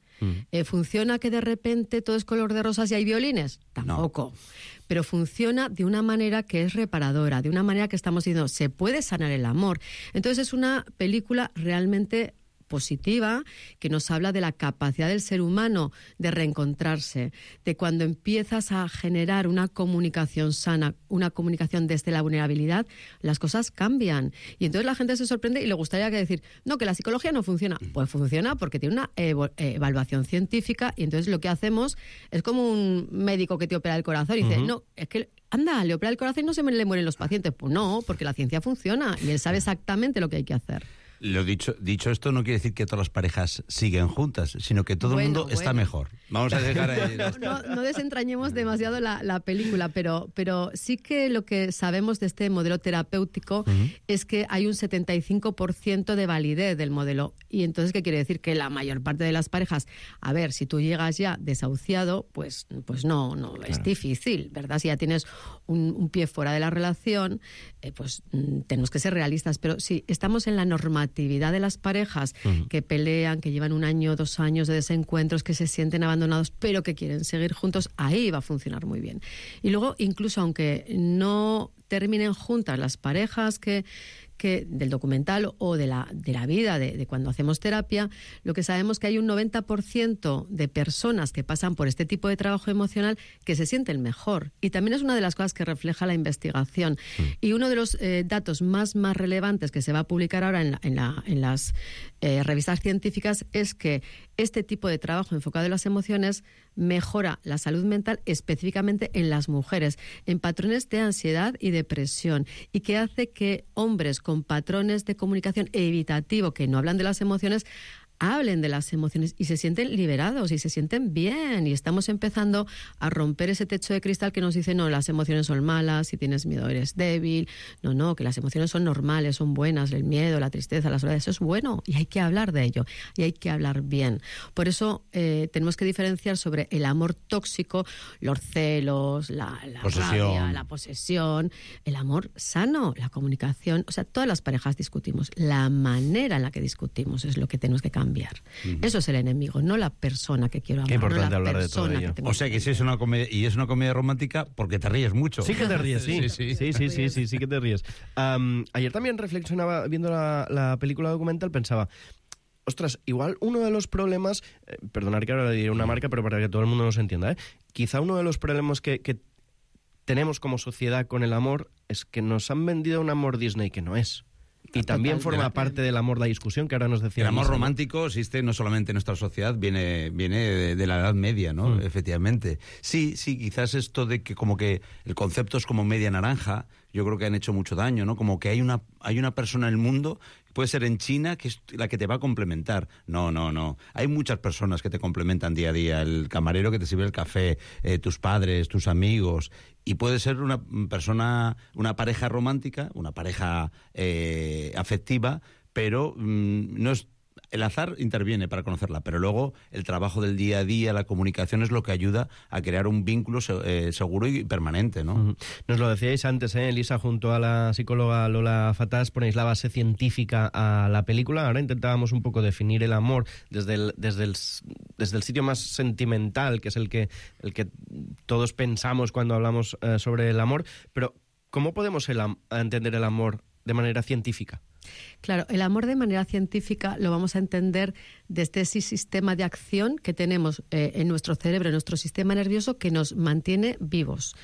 ¿Funciona que de repente todo es color de rosas y hay violines? Tampoco. No. Pero funciona de una manera que es reparadora, de una manera que estamos diciendo, se puede sanar el amor. Entonces es una película realmente positiva, que nos habla de la capacidad del ser humano de reencontrarse, de cuando empiezas a generar una comunicación sana, una comunicación desde la vulnerabilidad, las cosas cambian. Y entonces la gente se sorprende y le gustaría decir, no, que la psicología no funciona. Pues funciona porque tiene una evaluación científica, y entonces lo que hacemos es como un médico que te opera el corazón y dice, no, es que anda, le opera el corazón y no se le mueren los pacientes. Pues no, porque la ciencia funciona y él sabe exactamente lo que hay que hacer. Lo dicho esto no quiere decir que todas las parejas siguen juntas, sino que todo el mundo está mejor. Vamos a dejar ahí. No desentrañemos demasiado la película, pero sí que lo que sabemos de este modelo terapéutico es que hay un 75% de validez del modelo. Y entonces, ¿qué quiere decir? Que la mayor parte de las parejas, a ver, si tú llegas ya desahuciado, pues no, claro, es difícil, ¿verdad? Si ya tienes un pie fuera de la relación, pues tenemos que ser realistas. Pero si estamos en la normatividad de las parejas que pelean, que llevan 1 año, 2 años de desencuentros, que se sienten abandonados, pero que quieren seguir juntos, ahí va a funcionar muy bien. Y luego, incluso aunque no terminen juntas las parejas que del documental o de la vida de cuando hacemos terapia, lo que sabemos que hay un 90% de personas que pasan por este tipo de trabajo emocional que se sienten mejor. Y también es una de las cosas que refleja la investigación. Y uno de los datos más relevantes que se va a publicar ahora en las revistas científicas es que este tipo de trabajo enfocado en las emociones mejora la salud mental, específicamente en las mujeres, en patrones de ansiedad y depresión, y que hace que hombres con patrones de comunicación evitativo, que no hablan de las emociones, hablen de las emociones y se sienten liberados y se sienten bien, y estamos empezando a romper ese techo de cristal que nos dice, no, las emociones son malas, si tienes miedo eres débil, no, que las emociones son normales, son buenas, el miedo, la tristeza, la soledad, eso es bueno y hay que hablar de ello y hay que hablar bien. Por eso tenemos que diferenciar sobre el amor tóxico, los celos, la rabia, la posesión, el amor sano, la comunicación. O sea, todas las parejas discutimos, la manera en la que discutimos es lo que tenemos que cambiar. Eso es el enemigo, no la persona que quiero amar. Qué importante no hablar de todo ello. O sea que si es una comedia, y es una comedia romántica porque te ríes mucho. Sí que te ríes, sí que te ríes. Ayer también reflexionaba, viendo la película documental, pensaba, ostras, igual uno de los problemas, perdonar que ahora diré una marca, pero para que todo el mundo nos entienda, quizá uno de los problemas que tenemos como sociedad con el amor es que nos han vendido un amor Disney que no es. Y también forma parte del amor la discusión, que ahora nos decía. El amor Lisa, romántico existe no solamente en nuestra sociedad, viene de la Edad Media, ¿no? Efectivamente. Sí, quizás esto de que como que el concepto es como media naranja, yo creo que han hecho mucho daño, ¿no? Como que hay una persona en el mundo, puede ser en China, que es la que te va a complementar. No. Hay muchas personas que te complementan día a día. El camarero que te sirve el café, tus padres, tus amigos. Y puede ser una persona, una pareja romántica, una pareja afectiva, pero no es... El azar interviene para conocerla, pero luego el trabajo del día a día, la comunicación es lo que ayuda a crear un vínculo seguro y permanente, ¿no? Nos lo decíais antes, Elisa, junto a la psicóloga Lola Fatás, ponéis la base científica a la película. Ahora intentábamos un poco definir el amor desde el sitio más sentimental, que es el que todos pensamos cuando hablamos sobre el amor, pero ¿cómo podemos entender el amor de manera científica? Claro, el amor de manera científica lo vamos a entender desde ese sistema de acción que tenemos en nuestro cerebro, en nuestro sistema nervioso, que nos mantiene vivos.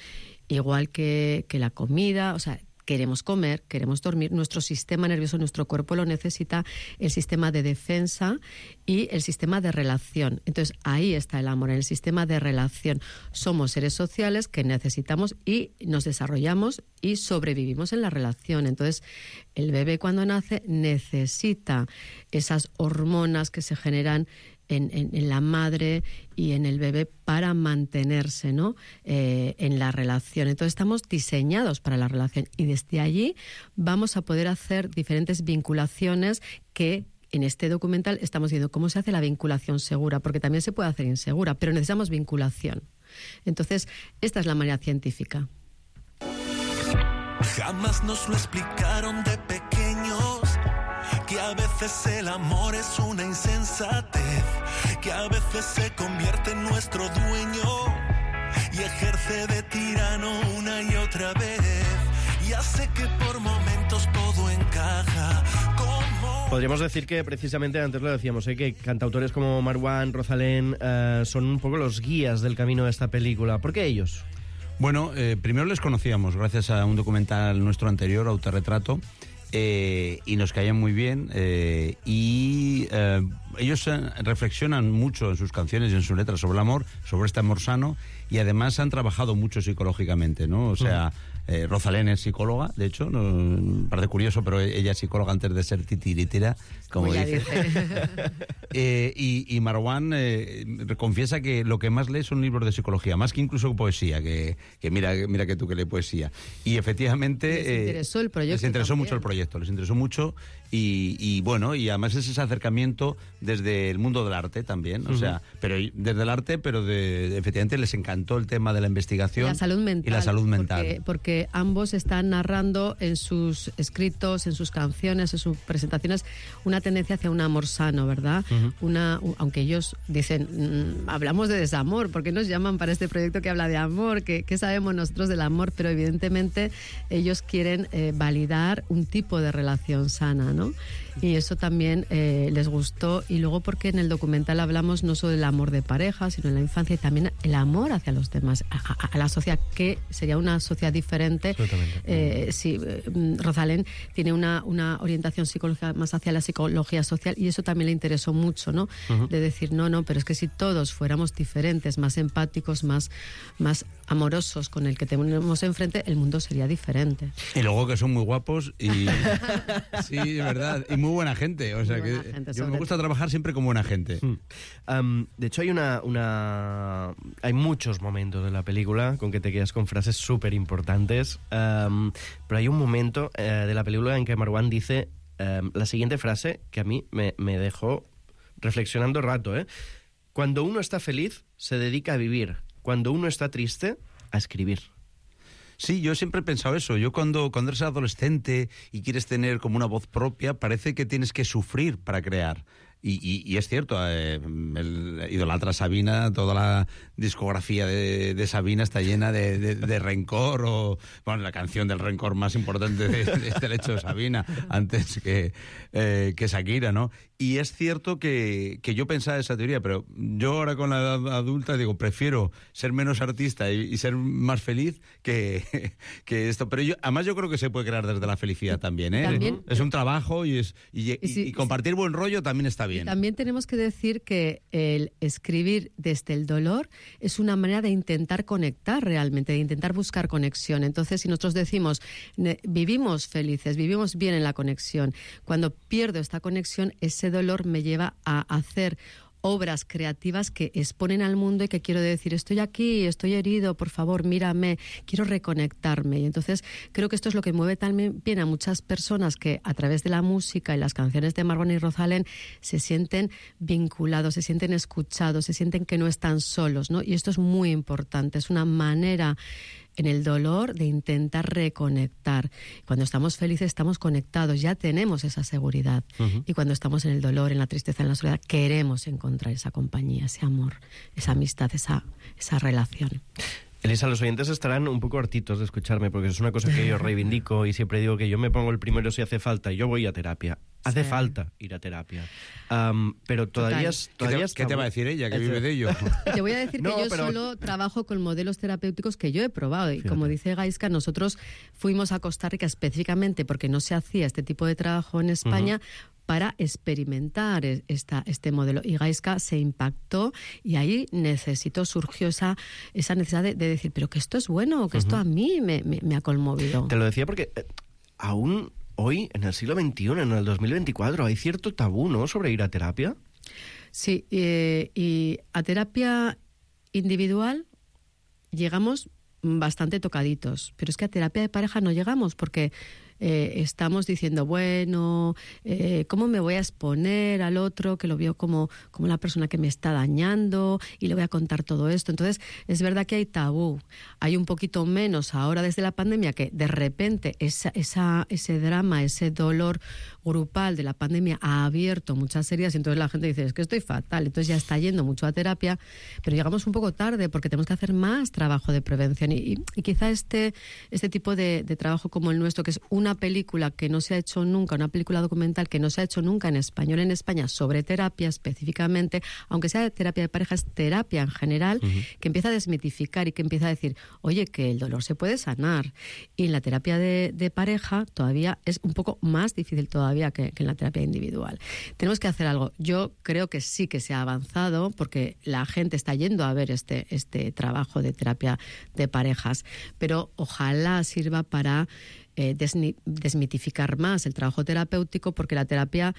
Igual que la comida, o sea, queremos comer, queremos dormir, nuestro sistema nervioso, nuestro cuerpo lo necesita, el sistema de defensa y el sistema de relación. Entonces, ahí está el amor, en el sistema de relación. Somos seres sociales que necesitamos y nos desarrollamos y sobrevivimos en la relación. Entonces, el bebé cuando nace necesita esas hormonas que se generan en la madre y en el bebé para mantenerse, ¿no? En la relación. Entonces estamos diseñados para la relación y desde allí vamos a poder hacer diferentes vinculaciones que en este documental estamos viendo cómo se hace la vinculación segura, porque también se puede hacer insegura, pero necesitamos vinculación. Entonces, esta es la manera científica. Jamás nos lo explicaron de pequeños, que a veces el amor es una insensatez, que a veces se convierte en nuestro dueño y ejerce de tirano una y otra vez, y hace que por momentos todo encaja como... Podríamos decir que precisamente, antes lo decíamos, que cantautores como Marwan, Rosalén, son un poco los guías del camino de esta película. ¿Por qué ellos? Bueno, primero les conocíamos gracias a un documental nuestro anterior, Autorretrato, y nos caían muy bien, y ellos reflexionan mucho en sus canciones y en sus letras sobre el amor, sobre este amor sano, y además han trabajado mucho psicológicamente, ¿no? O sea, Rosalén es psicóloga, de hecho, me parece curioso, pero ella es psicóloga antes de ser titiritera, como dice. Y Marwan confiesa que lo que más lee son libros de psicología, más que incluso poesía, que mira que tú que lees poesía. Y efectivamente... Les interesó el proyecto. Les interesó mucho el proyecto, les interesó mucho, y bueno, y además es ese acercamiento desde el mundo del arte también, o sea, pero desde el arte, pero efectivamente les encantó el tema de la investigación y la salud mental. Porque ambos están narrando en sus escritos, en sus canciones, en sus presentaciones, una tendencia hacia un amor sano, ¿verdad? Aunque ellos dicen, hablamos de desamor, ¿por qué nos llaman para este proyecto que habla de amor? ¿Qué sabemos nosotros del amor? Pero evidentemente ellos quieren validar un tipo de relación sana, ¿no? Y eso también les gustó, y luego porque en el documental hablamos no solo del amor de pareja, sino en la infancia, y también el amor hacia los demás, a la sociedad, que sería una sociedad diferente. Sí, Rosalén tiene una orientación psicológica más hacia la psicología social, y eso también le interesó mucho, ¿no? De decir, no, pero es que si todos fuéramos diferentes, más empáticos, más amorosos con el que tenemos enfrente, el mundo sería diferente. Y luego que son muy guapos y sí, de verdad, y muy buena gente, o sea que yo me gusta trabajar siempre con buena gente. De hecho hay muchos momentos de la película con que te quedas con frases súper importantes, pero hay un momento de la película en que Marwan dice la siguiente frase que a mí me dejó reflexionando rato, Cuando uno está feliz, se dedica a vivir. Cuando uno está triste, a escribir. Sí, yo siempre he pensado eso. Yo cuando eres adolescente y quieres tener como una voz propia, parece que tienes que sufrir para crear. Y es cierto, el idolatra Sabina, toda la discografía de Sabina está llena de rencor, o bueno, la canción del rencor más importante del hecho de Sabina, antes que Shakira, ¿no? Y es cierto que yo pensaba esa teoría, pero yo ahora con la edad adulta digo, prefiero ser menos artista y ser más feliz que esto. Pero además yo creo que se puede crear desde la felicidad también, ¿eh? ¿También? Es un trabajo y compartir buen rollo también está bien. Y también tenemos que decir que el escribir desde el dolor es una manera de intentar conectar realmente, de intentar buscar conexión. Entonces, si nosotros decimos, vivimos felices, vivimos bien en la conexión, cuando pierdo esta conexión, ese dolor me lleva a hacer obras creativas que exponen al mundo y que quiero decir, estoy aquí, estoy herido, por favor, mírame, quiero reconectarme. Y entonces creo que esto es lo que mueve también bien a muchas personas que a través de la música y las canciones de Marwan y Rosalén se sienten vinculados, se sienten escuchados, se sienten que no están solos, ¿no? Y esto es muy importante, es una manera en el dolor de intentar reconectar. Cuando estamos felices estamos conectados, ya tenemos esa seguridad. Y cuando estamos en el dolor, en la tristeza, en la soledad, queremos encontrar esa compañía, ese amor, esa amistad, esa relación. Elisa, los oyentes estarán un poco hartitos de escucharme, porque es una cosa que yo reivindico y siempre digo que yo me pongo el primero si hace falta y yo voy a terapia. Hace falta ir a terapia. Pero todavía... ¿Qué te va a decir ella, que vive de ello? Te voy a decir que yo solo trabajo con modelos terapéuticos que yo he probado. Y como dice Gaiska, nosotros fuimos a Costa Rica específicamente porque no se hacía este tipo de trabajo en España, para experimentar este modelo. Y Gaiska se impactó y ahí surgió esa necesidad de decir, pero que esto es bueno, que esto a mí me ha conmovido. Te lo decía porque aún hoy, en el siglo XXI, en el 2024, hay cierto tabú, ¿no?, sobre ir a terapia. Sí, y a terapia individual llegamos bastante tocaditos, pero es que a terapia de pareja no llegamos porque estamos diciendo, bueno, ¿cómo me voy a exponer al otro que lo veo como la persona que me está dañando y le voy a contar todo esto? Entonces, es verdad que hay tabú. Hay un poquito menos ahora desde la pandemia, que de repente ese drama, ese dolor grupal de la pandemia ha abierto muchas heridas y entonces la gente dice, es que estoy fatal, entonces ya está yendo mucho a terapia, pero llegamos un poco tarde porque tenemos que hacer más trabajo de prevención y quizá este tipo de trabajo como el nuestro, que es una película que no se ha hecho nunca, una película documental que no se ha hecho nunca en español en España sobre terapia específicamente, aunque sea terapia de pareja, es terapia en general, que empieza a desmitificar y que empieza a decir, oye, que el dolor se puede sanar. Y en la terapia de pareja todavía es un poco más difícil todavía que en la terapia individual. Tenemos que hacer algo. Yo creo que sí que se ha avanzado porque la gente está yendo a ver este trabajo de terapia de parejas, pero ojalá sirva para desmitificar más el trabajo terapéutico, porque la terapia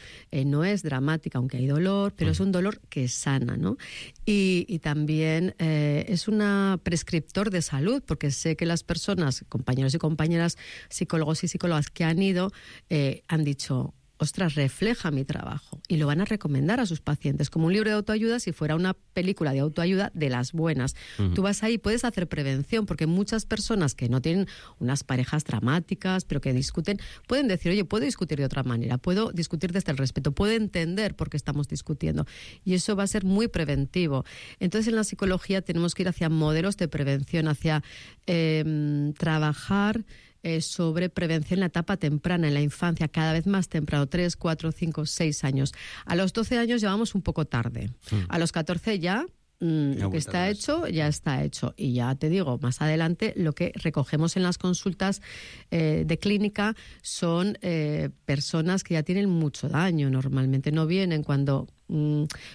no es dramática, aunque hay dolor, pero es un dolor que sana, ¿no? Y también es un prescriptor de salud, porque sé que las personas, compañeros y compañeras, psicólogos y psicólogas que han ido, han dicho, ostras, refleja mi trabajo, y lo van a recomendar a sus pacientes, como un libro de autoayuda si fuera una película de autoayuda de las buenas. Tú vas ahí, puedes hacer prevención, porque muchas personas que no tienen unas parejas dramáticas, pero que discuten, pueden decir, oye, puedo discutir de otra manera, puedo discutir desde el respeto, puedo entender por qué estamos discutiendo, y eso va a ser muy preventivo. Entonces, en la psicología tenemos que ir hacia modelos de prevención, hacia trabajar sobre prevención en la etapa temprana, en la infancia, cada vez más temprano, 3, 4, 5, 6 años. A los 12 años ya vamos un poco tarde. A los 14 ya lo que está hecho, ya está hecho. Y ya te digo, más adelante, lo que recogemos en las consultas de clínica son personas que ya tienen mucho daño. Normalmente no vienen cuando...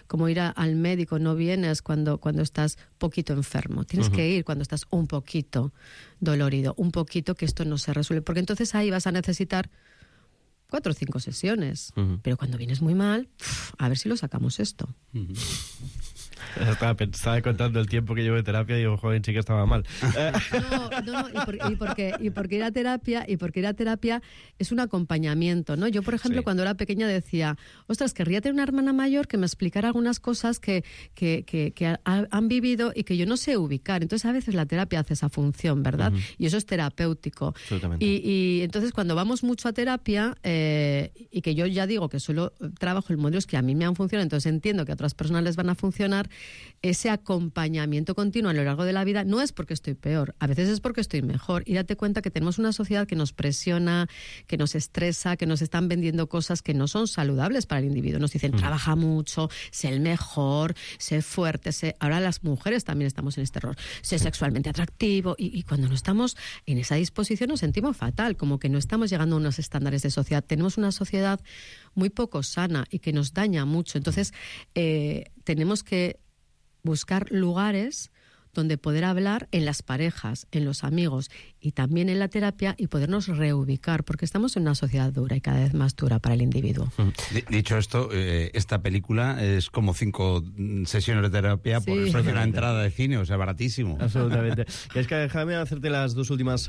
como ir al médico, no vienes cuando estás poquito enfermo. Tienes que ir cuando estás un poquito dolorido, un poquito que esto no se resuelve. Porque entonces ahí vas a necesitar 4 o 5 sesiones. Pero cuando vienes muy mal, a ver si lo sacamos esto. Estaba contando el tiempo que llevo de terapia y digo, joven, sí que estaba mal. No, y porque ir a terapia es un acompañamiento, ¿no? Yo, por ejemplo, cuando era pequeña decía, ostras, querría tener una hermana mayor que me explicara algunas cosas que han vivido y que yo no sé ubicar. Entonces, a veces la terapia hace esa función, ¿verdad? Y eso es terapéutico. Absolutamente. Y entonces, cuando vamos mucho a terapia, y que yo ya digo que solo trabajo en modelos que a mí me han funcionado, entonces entiendo que a otras personas les van a funcionar, ese acompañamiento continuo a lo largo de la vida no es porque estoy peor, a veces es porque estoy mejor. Y date cuenta que tenemos una sociedad que nos presiona, que nos estresa, que nos están vendiendo cosas que no son saludables para el individuo. Nos dicen, trabaja mucho, sé el mejor, sé fuerte, ahora las mujeres también estamos en este error, sé sexualmente atractivo, y cuando no estamos en esa disposición nos sentimos fatal, como que no estamos llegando a unos estándares de sociedad. Tenemos una sociedad muy poco sana y que nos daña mucho. Entonces, tenemos que buscar lugares donde poder hablar en las parejas, en los amigos y también en la terapia y podernos reubicar, porque estamos en una sociedad dura y cada vez más dura para el individuo. Dicho esto, esta película es como 5 sesiones de terapia por el precio de una entrada de cine, o sea, baratísimo. Absolutamente. Y es que déjame hacerte las dos últimas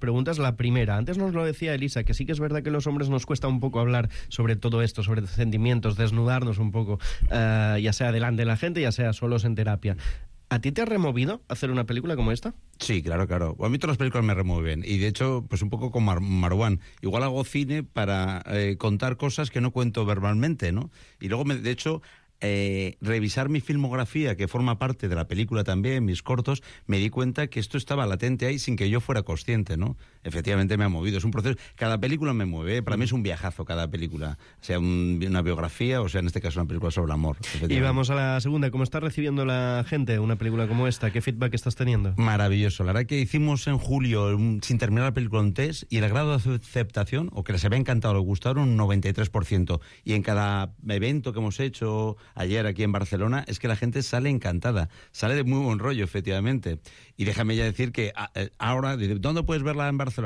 preguntas. La primera, antes nos lo decía Elisa, que sí que es verdad que a los hombres nos cuesta un poco hablar sobre todo esto, sobre sentimientos, desnudarnos un poco, ya sea delante de la gente, ya sea solos en terapia. ¿A ti te ha removido hacer una película como esta? Sí, claro. A mí todas las películas me remueven. Y de hecho, pues un poco como Marwan. Igual hago cine para contar cosas que no cuento verbalmente, ¿no? Y luego, de hecho, revisar mi filmografía, que forma parte de la película también, mis cortos, me di cuenta que esto estaba latente ahí sin que yo fuera consciente, ¿no? Efectivamente me ha movido. Es un proceso. Cada película me mueve. Para mí es un viajazo cada película. Sea una biografía o sea, en este caso, una película sobre el amor. Y vamos a la segunda. ¿Cómo está recibiendo la gente una película como esta? ¿Qué feedback estás teniendo? Maravilloso. La verdad que hicimos en julio, sin terminar la película, un test, y el grado de aceptación, o que les había encantado, les gustaron, un 93%. Y en cada evento que hemos hecho ayer aquí en Barcelona, es que la gente sale encantada, sale de muy buen rollo, efectivamente. Y déjame ya decir que ahora, ¿dónde puedes verla en Barcelona?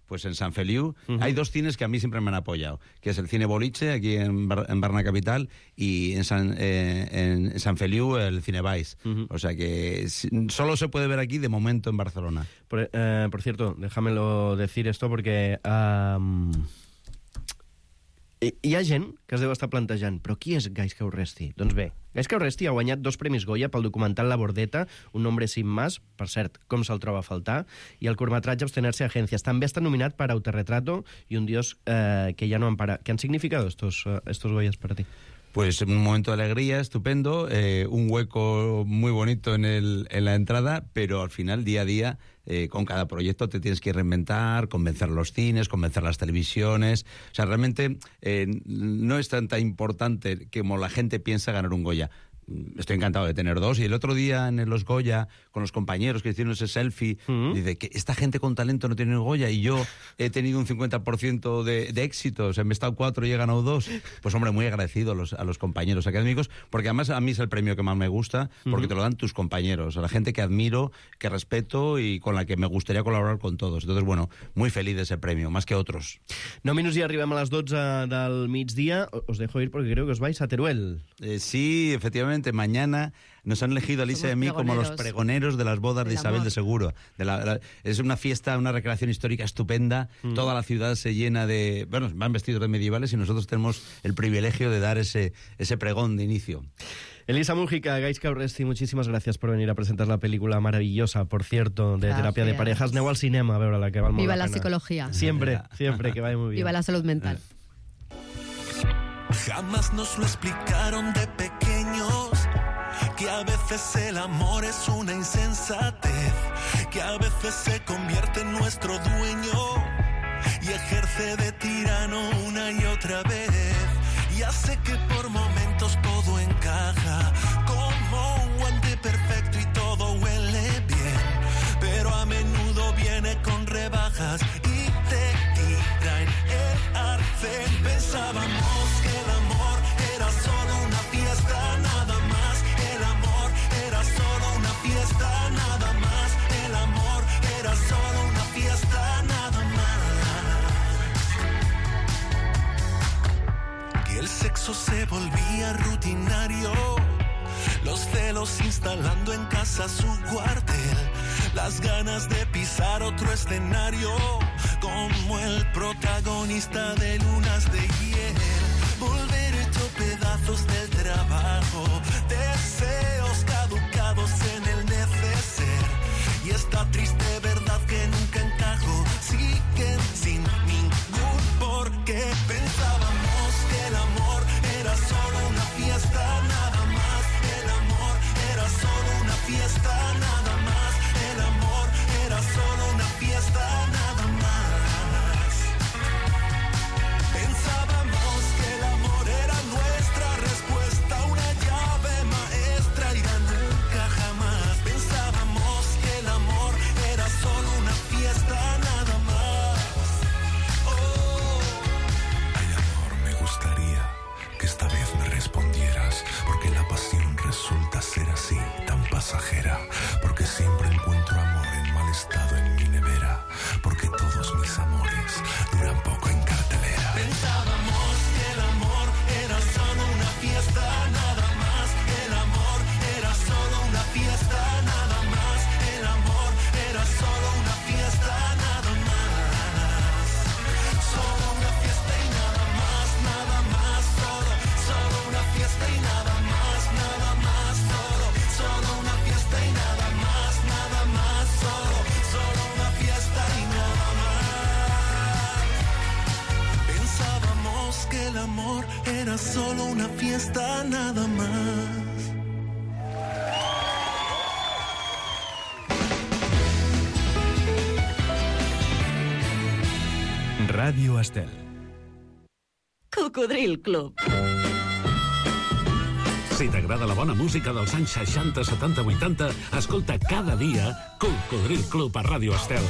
Pues en Sant Feliu. Hay 2 cines que a mí siempre me han apoyado, que es el Cine Boliche, aquí en Barna Capital, y en Sant Feliu el Cine Valls. O sea que solo se puede ver aquí de momento en Barcelona. Por cierto, déjamelo decir esto porque... Hi ha gent que es deu estar plantejant, però qui és Gaizka Urresti? Doncs bé, Gaizka Urresti ha guanyat 2 premis Goya pel documental La Bordeta, Un hombre sin más, per cert, com se'l troba a faltar, i el curtmetratge Abstenerse Agencias. També està nominat per Autorretrato y Un Dios que ya no ampara. ¿Qué han significado estos Goyas para ti? Pues un momento de alegría estupendo, un hueco muy bonito en la entrada, pero al final, día a día, con cada proyecto te tienes que reinventar, convencer a los cines, convencer a las televisiones. O sea, realmente no es tan importante como la gente piensa ganar un Goya. Estoy encantado de tener 2. Y el otro día en los Goya, con los compañeros que hicieron ese selfie, dice que esta gente con talento no tiene Goya y yo he tenido un 50% de éxito. O sea, me he estado 4 y he ganado 2. Pues hombre, muy agradecido a los compañeros académicos, porque además a mí es el premio que más me gusta, porque te lo dan tus compañeros, a la gente que admiro, que respeto y con la que me gustaría colaborar con todos. Entonces, bueno, muy feliz de ese premio, más que otros. 9 minuts i arribem a les 12 del migdia. Os dejo ir porque creo que os vais a Teruel. Sí, efectivamente. Mañana nos han elegido a Lisa y a mí como los pregoneros de las bodas de Isabel de Seguro. Es una fiesta, una recreación histórica estupenda. Toda la ciudad se llena de... Bueno, van vestidos de medievales y nosotros tenemos el privilegio de dar ese pregón de inicio. Elisa Mújica, Gaizka Urresti, muchísimas gracias por venir a presentar la película maravillosa, por cierto, de terapia de parejas. Aneu al cinema a veure-la, que val molt Viva la la pena. psicología. Siempre, que vaya muy bien. Viva la salud mental. Jamás nos lo explicaron de pequeños, que a veces el amor es una insensatez, que a veces se convierte en nuestro dueño y ejerce de tirano una y otra vez. Ya sé que por momentos todo encaja como un guante perfecto y todo huele bien, pero a menudo viene con rebajas y te tira en el arcén. Pensábamos que el amor era solo una fiesta, nada más. El amor era solo una fiesta, nada más. El amor era solo una fiesta, nada más. Que el sexo se volvía rutinario celos instalando en casa su cuartel, las ganas de pisar otro escenario, como el protagonista de Lunas de Hiel, volver hecho pedazos del trabajo, deseos caducados en el neceser, y esta triste verdad que nunca encajo, siguen sin ningún porqué. Pensábamos que el amor era solo una fiesta, nada más. El amor era solo una fiesta, nada más. El amor era solo una fiesta, nada más. Pensábamos que el amor era nuestra respuesta, una llave maestra y ya nunca jamás. Pensábamos que el amor era solo una fiesta, nada más. Ay, amor, me gustaría que esta vez me respondieras, porque la pasión resulta ser así, tan pasajera, porque siempre encuentro amor en mal estado en mi nevera, porque todos mis amores duran poco en cartelera. Pensábamos que el amor era solo una fiesta, nada más. El amor era solo una fiesta, nada más. El amor era solo una fiesta, nada más. Solo una fiesta y nada más, nada más. Solo una fiesta y nada más, nada más. Solo una fiesta y nada más, nada más. Solo una fiesta y nada más. Pensábamos que el amor era solo una fiesta, nada más. Ràdio Estel. Cocodril Club. Si t'agrada la bona música dels anys 60, 70, 80, escolta cada dia Cocodril Club a Ràdio Estel.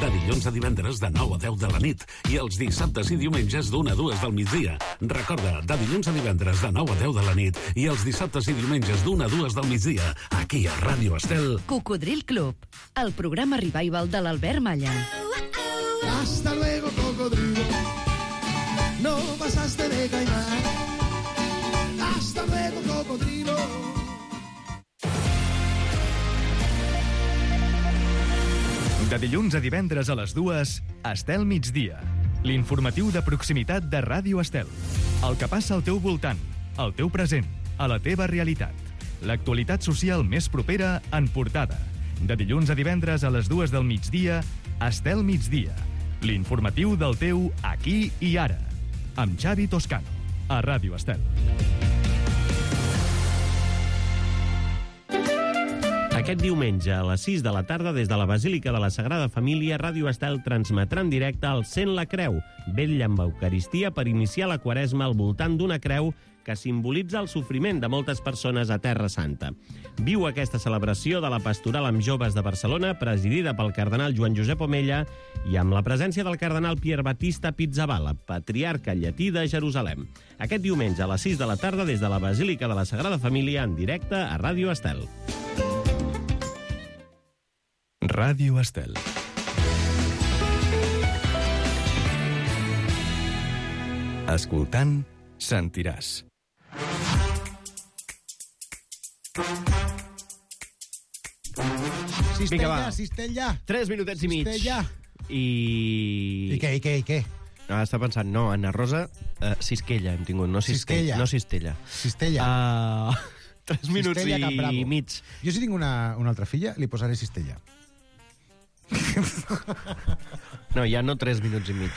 De dilluns a divendres de 9 a 10 de la nit i els dissabtes i diumenges d'1 a 2 del migdia. Recorda, de dilluns a divendres de 9 a 10 de la nit i els dissabtes i diumenges d'1 a 2 del migdia, aquí a Ràdio Estel. Cocodril Club, el programa revival de l'Albert Malla. Hasta luego, cocodrilo. No pasaste de caimán. Hasta luego, cocodrilo. De dilluns a divendres a les 2, Estel Migdia. L'informatiu de proximitat de Ràdio Estel. El que passa al teu voltant, al teu present, a la teva realitat. L'actualitat social més propera en portada. De dilluns a divendres a les 2 del migdia, Estel Migdia. L'informatiu del teu aquí i ara. Amb Xavi Toscano, a Ràdio Estel. Aquest diumenge, a les 6 de la tarda, des de la Basílica de la Sagrada Família, Ràdio Estel transmetrà en directe el Sent la Creu, vetlla amb Eucaristia per iniciar la Quaresma al voltant d'una creu que simbolitza el sofriment de moltes persones a Terra Santa. Viu aquesta celebració de la Pastoral amb Joves de Barcelona, presidida pel cardenal Joan Josep Omella i amb la presència del cardenal Pier Battista Pizzaballa, patriarca llatí de Jerusalem. Aquest diumenge, a les 6 de la tarda, des de la Basílica de la Sagrada Família, en directe a Ràdio Estel. Ràdio Estel. Escoltant, sentiràs. Vinga, va. Cistella. 3 minutets i mig. Cistella. I què? Ah, està pensant, no, Anna Rosa, Sisquella hem tingut, no Cistella. No Cistella. Cistella. 3 minuts Cistella i mig. Jo si tinc una altra filla, li posaré Cistella. No, ja no 3 minuts i mig.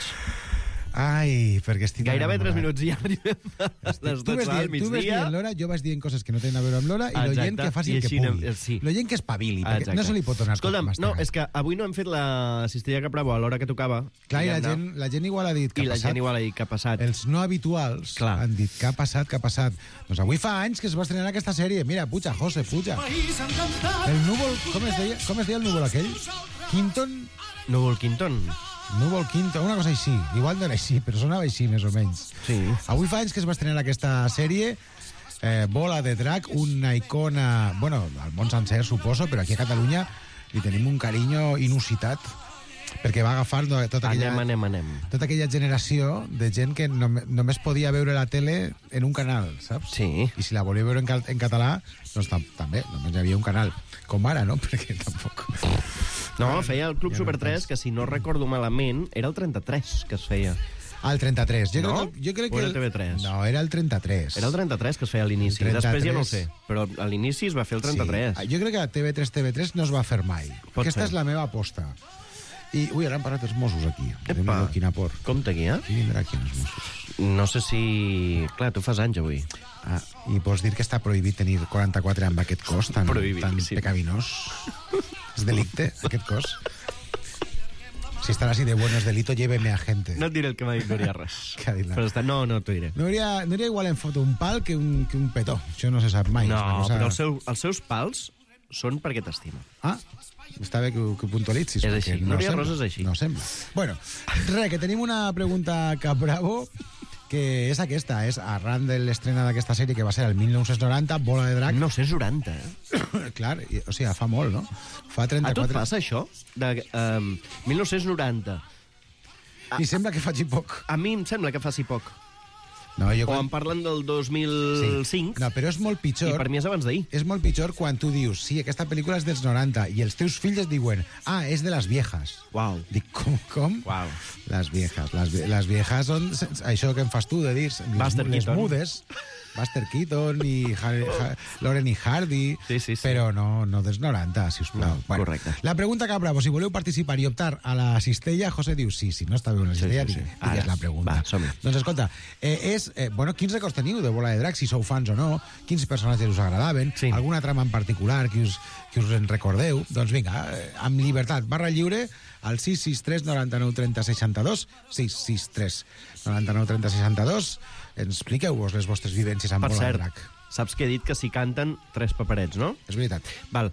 Ai, perquè estic Gairebé enamorat. 3 minuts i ja arribem a les 12 del Tu ves migdia. dient l'hora, jo vas dient coses que no tenen a veure amb l'hora i l'oient que faci el que pugui. Sí. L'oient que espavili, perquè no se li pot donar Escolta'm, tot no, és que avui no hem fet la cistella Capravo a l'hora que tocava. Clar, i la gent igual ha dit que ha passat. I la gent igual ha dit que ha passat. Els no habituals han dit que ha passat. Doncs avui fa anys que es va estrenar aquesta sèrie. Mira, puja, José, puja. El núvol, com es deia el núvol aquell? Quinton? Núvol Quinton. Núvol Quinton, una cosa així. Igual no era així, però sonava així, més o menys. Sí. Avui fa anys que es va estrenar aquesta sèrie, Bola de Drac, una icona, bueno, al món sencer, suposo, però aquí a Catalunya li tenim un carinyo inusitat. perquè va agafar tota aquella generació de gent que només podia veure la tele en un canal, saps? Sí. I si la volia veure en català, doncs també, només hi havia un canal. Com ara, no? Perquè tampoc... No, feia el Club Super 3, que si no recordo malament, era el 33 que es feia. El 33. Jo crec que era TV3? No, era el 33. Era el 33 que es feia a l'inici. Després ja no ho sé, però a l'inici es va fer el 33. Sí. Jo crec que TV3 no es va fer mai. Aquesta és la meva aposta. I, ara han parat els Mossos aquí. Epa, quina por. Compte aquí, Qui vindrà aquí els Mossos? No sé si... Clar, tu fas anys avui. I pots dir que està prohibit tenir 44 amb aquest cos tan pecaminós? És delicte, aquest cos? Si estar así de bueno es delito, lléveme a gente. No et diré el que m'ha dit Núria Res. Què ha dit? No t'ho diré. Núria igual en foto un pal que un petó. Això no se sap mai. No, però els seus pals són perquè t'estima. Està bé que ho puntualitzis. És així, Núria Res és així. No sembla. Bueno, que tenim una pregunta cap bravo, que és aquesta, és arran de l'estrena d'aquesta sèrie que va ser el 1990, Bola de Drac. 1990, eh? Clar, o sigui, fa molt, no? Fa 34... A tu et passa això? De 1990. I sembla que faci poc. A mi em sembla que faci poc. No, o em parlen del 2005. Sí. No, però és molt pitjor. I per mi és abans d'ahir. És molt pitjor quan tu dius, sí, aquesta pel·lícula és dels 90, i els teus fills et diuen, és de les viejas. Uau. Dic, com? Uau. Les viejas. Les viejas són això que em fas tu de dir, les mudes. Buster Keaton i Lauren i Hardy, sí. Però no dels 90, sisplau. No, bueno, correcte. La pregunta que bravo, si voleu participar i optar a la cistella, José diu sí, si no està bé una cistella, digues la pregunta. Va, doncs escolta, quins records teniu de Bola de Drac, si sou fans o no, quins personatges us agradaven, alguna trama en particular que us en recordeu, doncs vinga, amb llibertat, barra lliure, al 663 99 30 62, 663 99 30 62, expliqueu-vos les vostres vivències amb Bola de Drac. Per cert, saps que he dit que s'hi canten 3 paperets, no? És veritat. Val.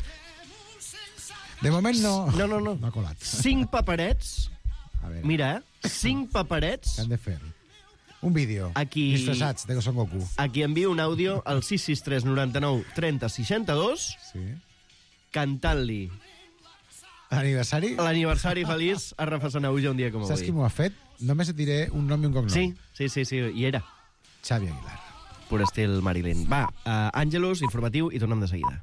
De moment no ha colat. 5 paperets, mira, 5 paperets... Què han de fer? Un vídeo, disfressats de Son Goku. Aquí envio un àudio al 663 99 30 62 cantant-li l'aniversari feliç a Rafa Sanauja un dia com avui. Saps qui m'ho ha fet? Només et diré un nom i un cognom. Sí, hi era. Xavi Aguilar. Pur estil Marilyn. Va, Àngelus, informatiu, i tornem de seguida.